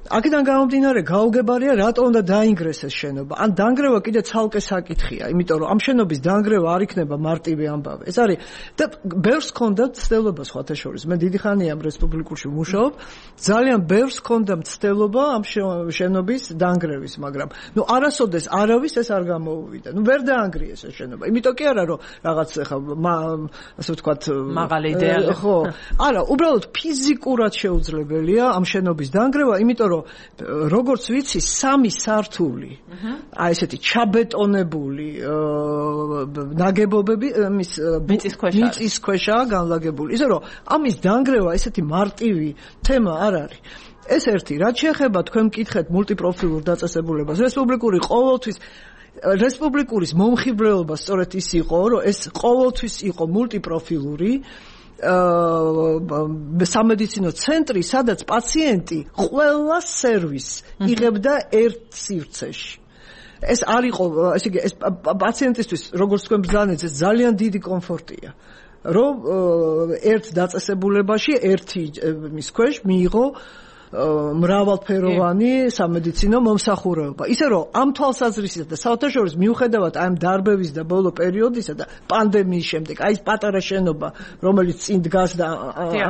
აქედან გამომდინარე გაუგებარია რატო უნდა დაინგრეს ეს შენობა. ან დანგრევა კიდე ცალკე საკითხია, იმიტომ რომ ამ შენობის დანგრევა არ იქნება მარტივი ამბავი. ეს არის და ბევრს ჰქონდა ცდელობა სხვათა შორის. მე დიდი ხანია ამ რესპუბლიკურში ვმუშაობ, ძალიან ბევრს ჰქონდა ცდელობა ამ შენობის დანგრევის, მაგრამ ნუ არასოდეს არავის ეს არ გამოუვიდა. ნუ ვერ დაანგრიეს ეს შენობა. იმიტომ კი არა რომ რაღაც ხა ასე ვთქვათ მაღალი იდეალი. ხო, არა, უბრალოდ ფიზიკურად შეუძლებელია ამ შენობის დანგრევა, იმიტომ როგორც ვიცი, სამი სართული, აი ესეთი ჩაბეტონებული ნაგებობები მის მიწის ქვეშაა განლაგებული. ისე რომ ამის დანგრევა ესეთი მარტივი თემა არ არის. ეს ერთი, რაც შეეხება თქვენ მკითხეთ მულტიპროფილურ დაწესებულებას, რესპუბლიკური ყოველთვის რესპუბლიკურის მომხიბვლელობა სწორედ ის იყო, რომ ეს ყოველთვის იყო მულტიპროფილური სამედიცინო ცენტრი, სადაც პაციენტი ყველა სერვისს იღებდა ერთ სივრცეში. ეს არ იყო, ესე იგი, ეს პაციენტისთვის, როგორც თქვენ ბრძანეთ, ეს ძალიან დიდი კომფორტია. რომ ერთ დაწესებულებაში ერთი მის ქვეშ მიიღო მრავალფეროვანი სამედიცინო მომსახურება. ისე რომ ამ თვალსაზრისით და საერთაშორისო მიუხედავად ამ დარბევის და ბოლო პერიოდისა და პანდემიის შემდეგ, აი ეს პატარა შენობა, რომელიც წინ დგას და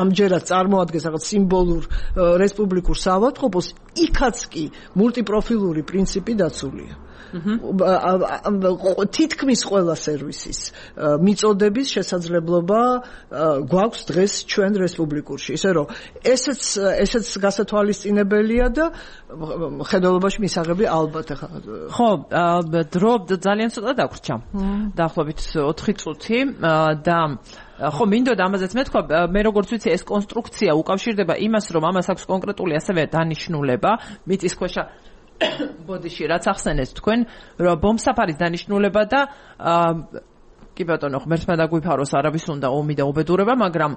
ამჯერად წარმოადგენს რაღაც სიმბოლურ რესპუბლიკურ საავადმყოფოს, იქაც კი მულტიპროფილური პრინციპი დაცულია. თითქმის ყველა სერვისის მიწოდების შესაძლებლობა გვაქვს დღეს ჩვენ რესპუბლიკურში. ისე რომ ესეც ესეც გასათვალისწინებელია და ხედველობაში მისაღები ალბათ ახლა. ხო, დრო ძალიან ცოტა დაგვრჩა. დაახლოებით ოთხი წუთი და ხო მინდოდა ამაზეც მეთქვა, მე როგორც ვიცი ეს კონსტრუქცია უკავშირდება იმას, რომ ამას აქვს კონკრეტული ასევე დანიშნულება, მიწისქვეშა ბოდიში რაც ახსენეთ თქვენ, რომ ბომბსაფარის დანიშნულება და კი ბატონო, ღმერთმა დაგვიფაროს, არავის უნდა ომი და უბედურება, მაგრამ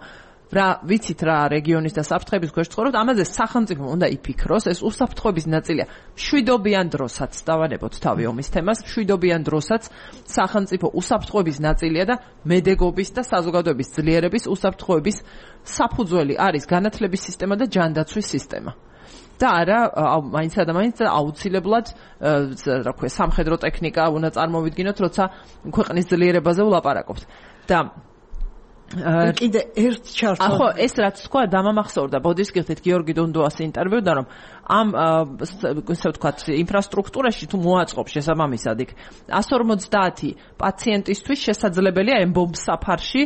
რა ვიცით რა რეგიონის და საფრთხების ქვეშ ცხოვრობთ, ამაზე სახელმწიფო უნდა იფიქროს, ეს უსაფრთხოების ნაწილია. მშვიდობიან დროსაც დავანებოთ თავი ომის თემას, მშვიდობიან დროსაც სახელმწიფო უსაფრთხოების ნაწილია და მედეგობის და საზოგადოების ძლიერების უსაფრთხოების საფუძველი არის განათლების სისტემა და ჯანდაცვის სისტემა. და არა მაინც და მაინც აუცილებლად რა ქვია სამხედრო ტექნიკა უნდა წარმოვიდგინოთ, როცა ქვეყნის ძლიერებაზე ვლაპარაკობთ. და კიდე ერთ ჩართვა. ხო, ეს რაც თქვა დამამახსოვრდა ბოდის გიხდით გიორგი დუნდუას ინტერვიუდან, რომ ამ ესე ვთქვათ ინფრასტრუქტურაში თუ მოაწყობს შესაბამისად იქ εκατს ორმოცდაათი პაციენტისთვის შესაძლებელია ამ ბომბსაფარში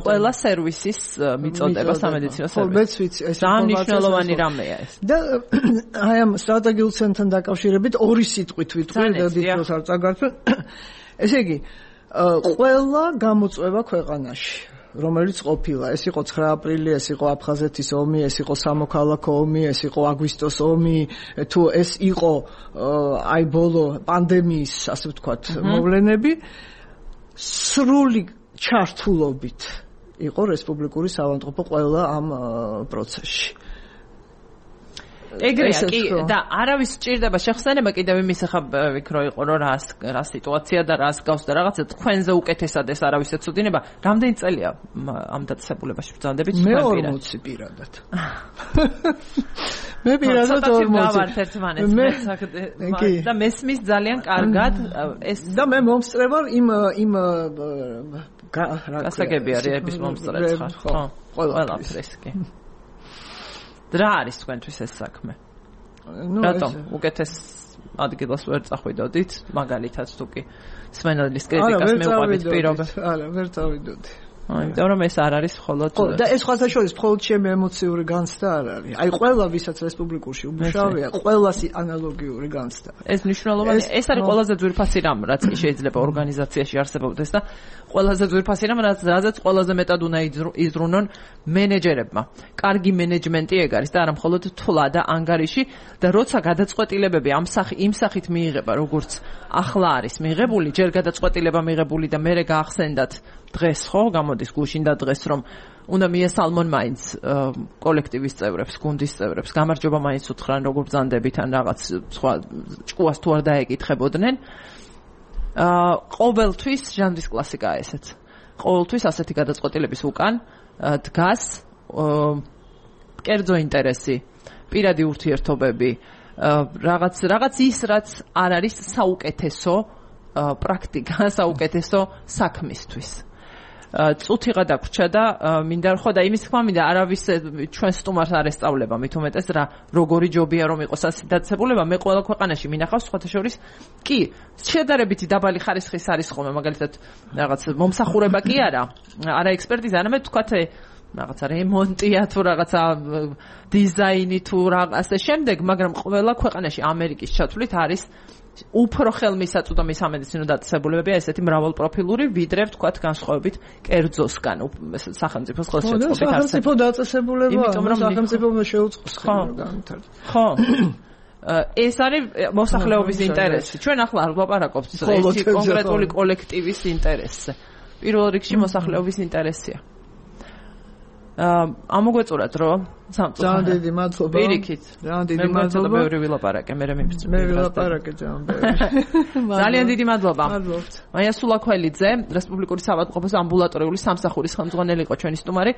ყველა სერვისის მიწოდება სამედიცინო სერვისი. მეც ვიცი, ეს მნიშვნელოვანი რამეა ეს. და აი ამ სტრატეგიულ ცენტრთან დაკავშირებით ორი სიტყვით ვიტყვი და დიდროს არ წაგართვენ. ესე იგი, ყველა გამოწვევა ქვეყანაში, რომელიც ყოფილა, ეს იყო ცხრა აპრილი, ეს იყო აფხაზეთის ომი, ეს იყო სამოქალაქო ომი, ეს იყო აგვისტოს ომი, თუ ეს იყო აი ბოლო პანდემიის, ასე ვთქვათ, მოვლენები, სრული ჩართულობით იყო რესპუბლიკური საავადმყოფო ყველა ამ პროცესში. ეგრეა კი და არავის სჭირდება შეხსენება კიდევ იმის ახლა ვიქრო იყო რომ რა რა სიტუაცია და რა გავს და რაღაცა თქვენზე უკეთესად ეს არავის ეცოდინება. რამდენი წელია ამ დაწესებულებაში ბრძანდებით? მე ორმოცი პირადად. მე პირადად ორმოცი. მე და მესმის ძალიან კარგად ეს და მე მომსწრე ვარ იმ იმ გასაგები არის ეს მომსწრეც ხარ. ხო, ყველაფერს კი. რა არის თქვენთვის ეს საქმე? რატომ უკეთეს ადგილას ვერ წახვიდოდით, მაგალითად თუ კი სმენელის კრიტიკას მეუყვებით პირობებს? არა, ვერ წავიდოდი. აი, იმიტომ რომ ეს არ არის მხოლოდ ხო, და ეს სხვათა შორის მხოლოდ ჩემი ემოციური განცდა არ არის. აი, ყველა ვისაც რესპუბლიკურში უმუშავეა, ყველას ანალოგიური განცდა. ეს მნიშვნელოვანი, ეს არის ყველაზე ძვირფასი რამ, რაც შეიძლება ორგანიზაციაში არსებობდეს და ყველაზე ძვირფასი რამ, რაც რაზეც ყველაზე მეტად უნდა იზრუნონ მენეჯერებმა. კარგი მენეჯმენტი ეგ არის და არა მხოლოდ თვლა და ანგარიში და როცა გადაწყვეტილებები ამ სახი იმ სახით მიიღება, როგორც ახლა არის მიღებული, ჯერ გადაწყვეტილება მიღებული და მერე გაახსენდათ დღეს ხო გამოდის გუშინ და დღეს რომ უნდა მიესალმონ მაინც კოლექტივის წევრებს, გუნდის წევრებს, გამარჯობა მაინც უთხრან როგორ ბრძანდებით ან რაღაც სხვა ჭკუას თუ არ დაეკითხებოდნენ. აა ყოველთვის ჟანრის კლასიკაა ესეც. ყოველთვის ასეთი გადაწყვეტილების უკან დგას კერძო ინტერესი, პირადი ურთიერთობები, რაღაც რაღაც ის რაც არ არის საუკეთესო პრაქტიკა, საუკეთესო საქმისთვის. წუთიღა დაგვრჩა და მინდა ხო და იმის თქმა მინდა არავის ჩვენ სტუმარს არ ესწავლება მით უმეტეს რა როგორი ჯობია რომ იყოს ასეთი დაწესებულება. მე ყველა ქვეყანაში მინახავს სხვათა შორის კი შედარებითი დაბალი ხარისხის არის ხოლმე მაგალითად რაღაც მომსახურება კი არა არა ექსპერტიზა არამედ თქვათ რაღაცა რემონტია თუ რაღაცა დიზაინი თუ რაღაცა შემდეგ, მაგრამ ყველა ქვეყანაში ამერიკის ჩათვლით არის უფრო ხელმისაწვდომი სამედიცინო დაწესებულებებია ესეთი მრავალპროფილური, ვიდრე ვთქვათ განსხვავებით კერძოსგან სახელმწიფოს ხელშეწყობით არსებობს. სახელმწიფო დაწესებულება, სახელმწიფო შეუწყოს განვითარებას. ხო. ეს არის მოსახლეობის ინტერესი. ჩვენ ახლა არ ვლაპარაკობთ ერთი კონკრეტული კოლექტივის ინტერესზე. პირველ რიგში მოსახლეობის ინტერესია. ამოგვეწურათ რომ ძალიან დიდი მადლობა. პირიქით. ძალიან დიდი მადლობა. მე ბევრი ვილაპარაკე, მე მიფწრე. მე ვილაპარაკე ძალიან ბევრი. ძალიან დიდი მადლობა. მადლობთ. მაია სულაქველიძე, რესპუბლიკური საავადმყოფოს ამბულატორიული სამსახურის ხელმძღვანელი იყო ჩვენი სტუმარი.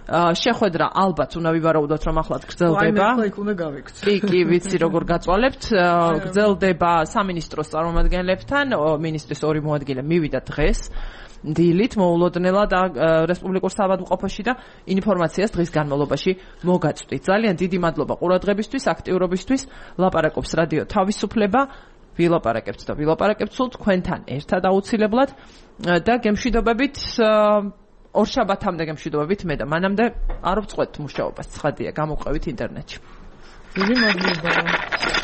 შეხვედრა ალბათ უნდა ვივარაუდოთ რომ ახლად გრძელდება. აი, მე იქ უნდა გავიქცე. კი, კი, ვიცი როგორ გაწვალებთ. გრძელდება სამინისტროს წარმომადგენლებთან, მინისტრის ორი მოადგილე მივიდა დღეს. დილით მოულოდნელა და რესპუბლიკურ საავადმყოფოში და ინფორმაციას დღის განმავლობაში მოგაწვდით. ძალიან დიდი მადლობა ყურადღებისთვის, აქტიურობისთვის. ლაპარაკობს რადიო თავისუფლება. ვილაპარაკებთ და ვილაპარაკებთ სულ თქვენთან ერთად აუცილებლად და გემშვიდობებით ორშაბათამდე გემშვიდობებით მე და მანამდე არ ვწყვეტ მუშაობას. ცხადია, გამოყვებით ინტერნეტში. დიდი მადლობა.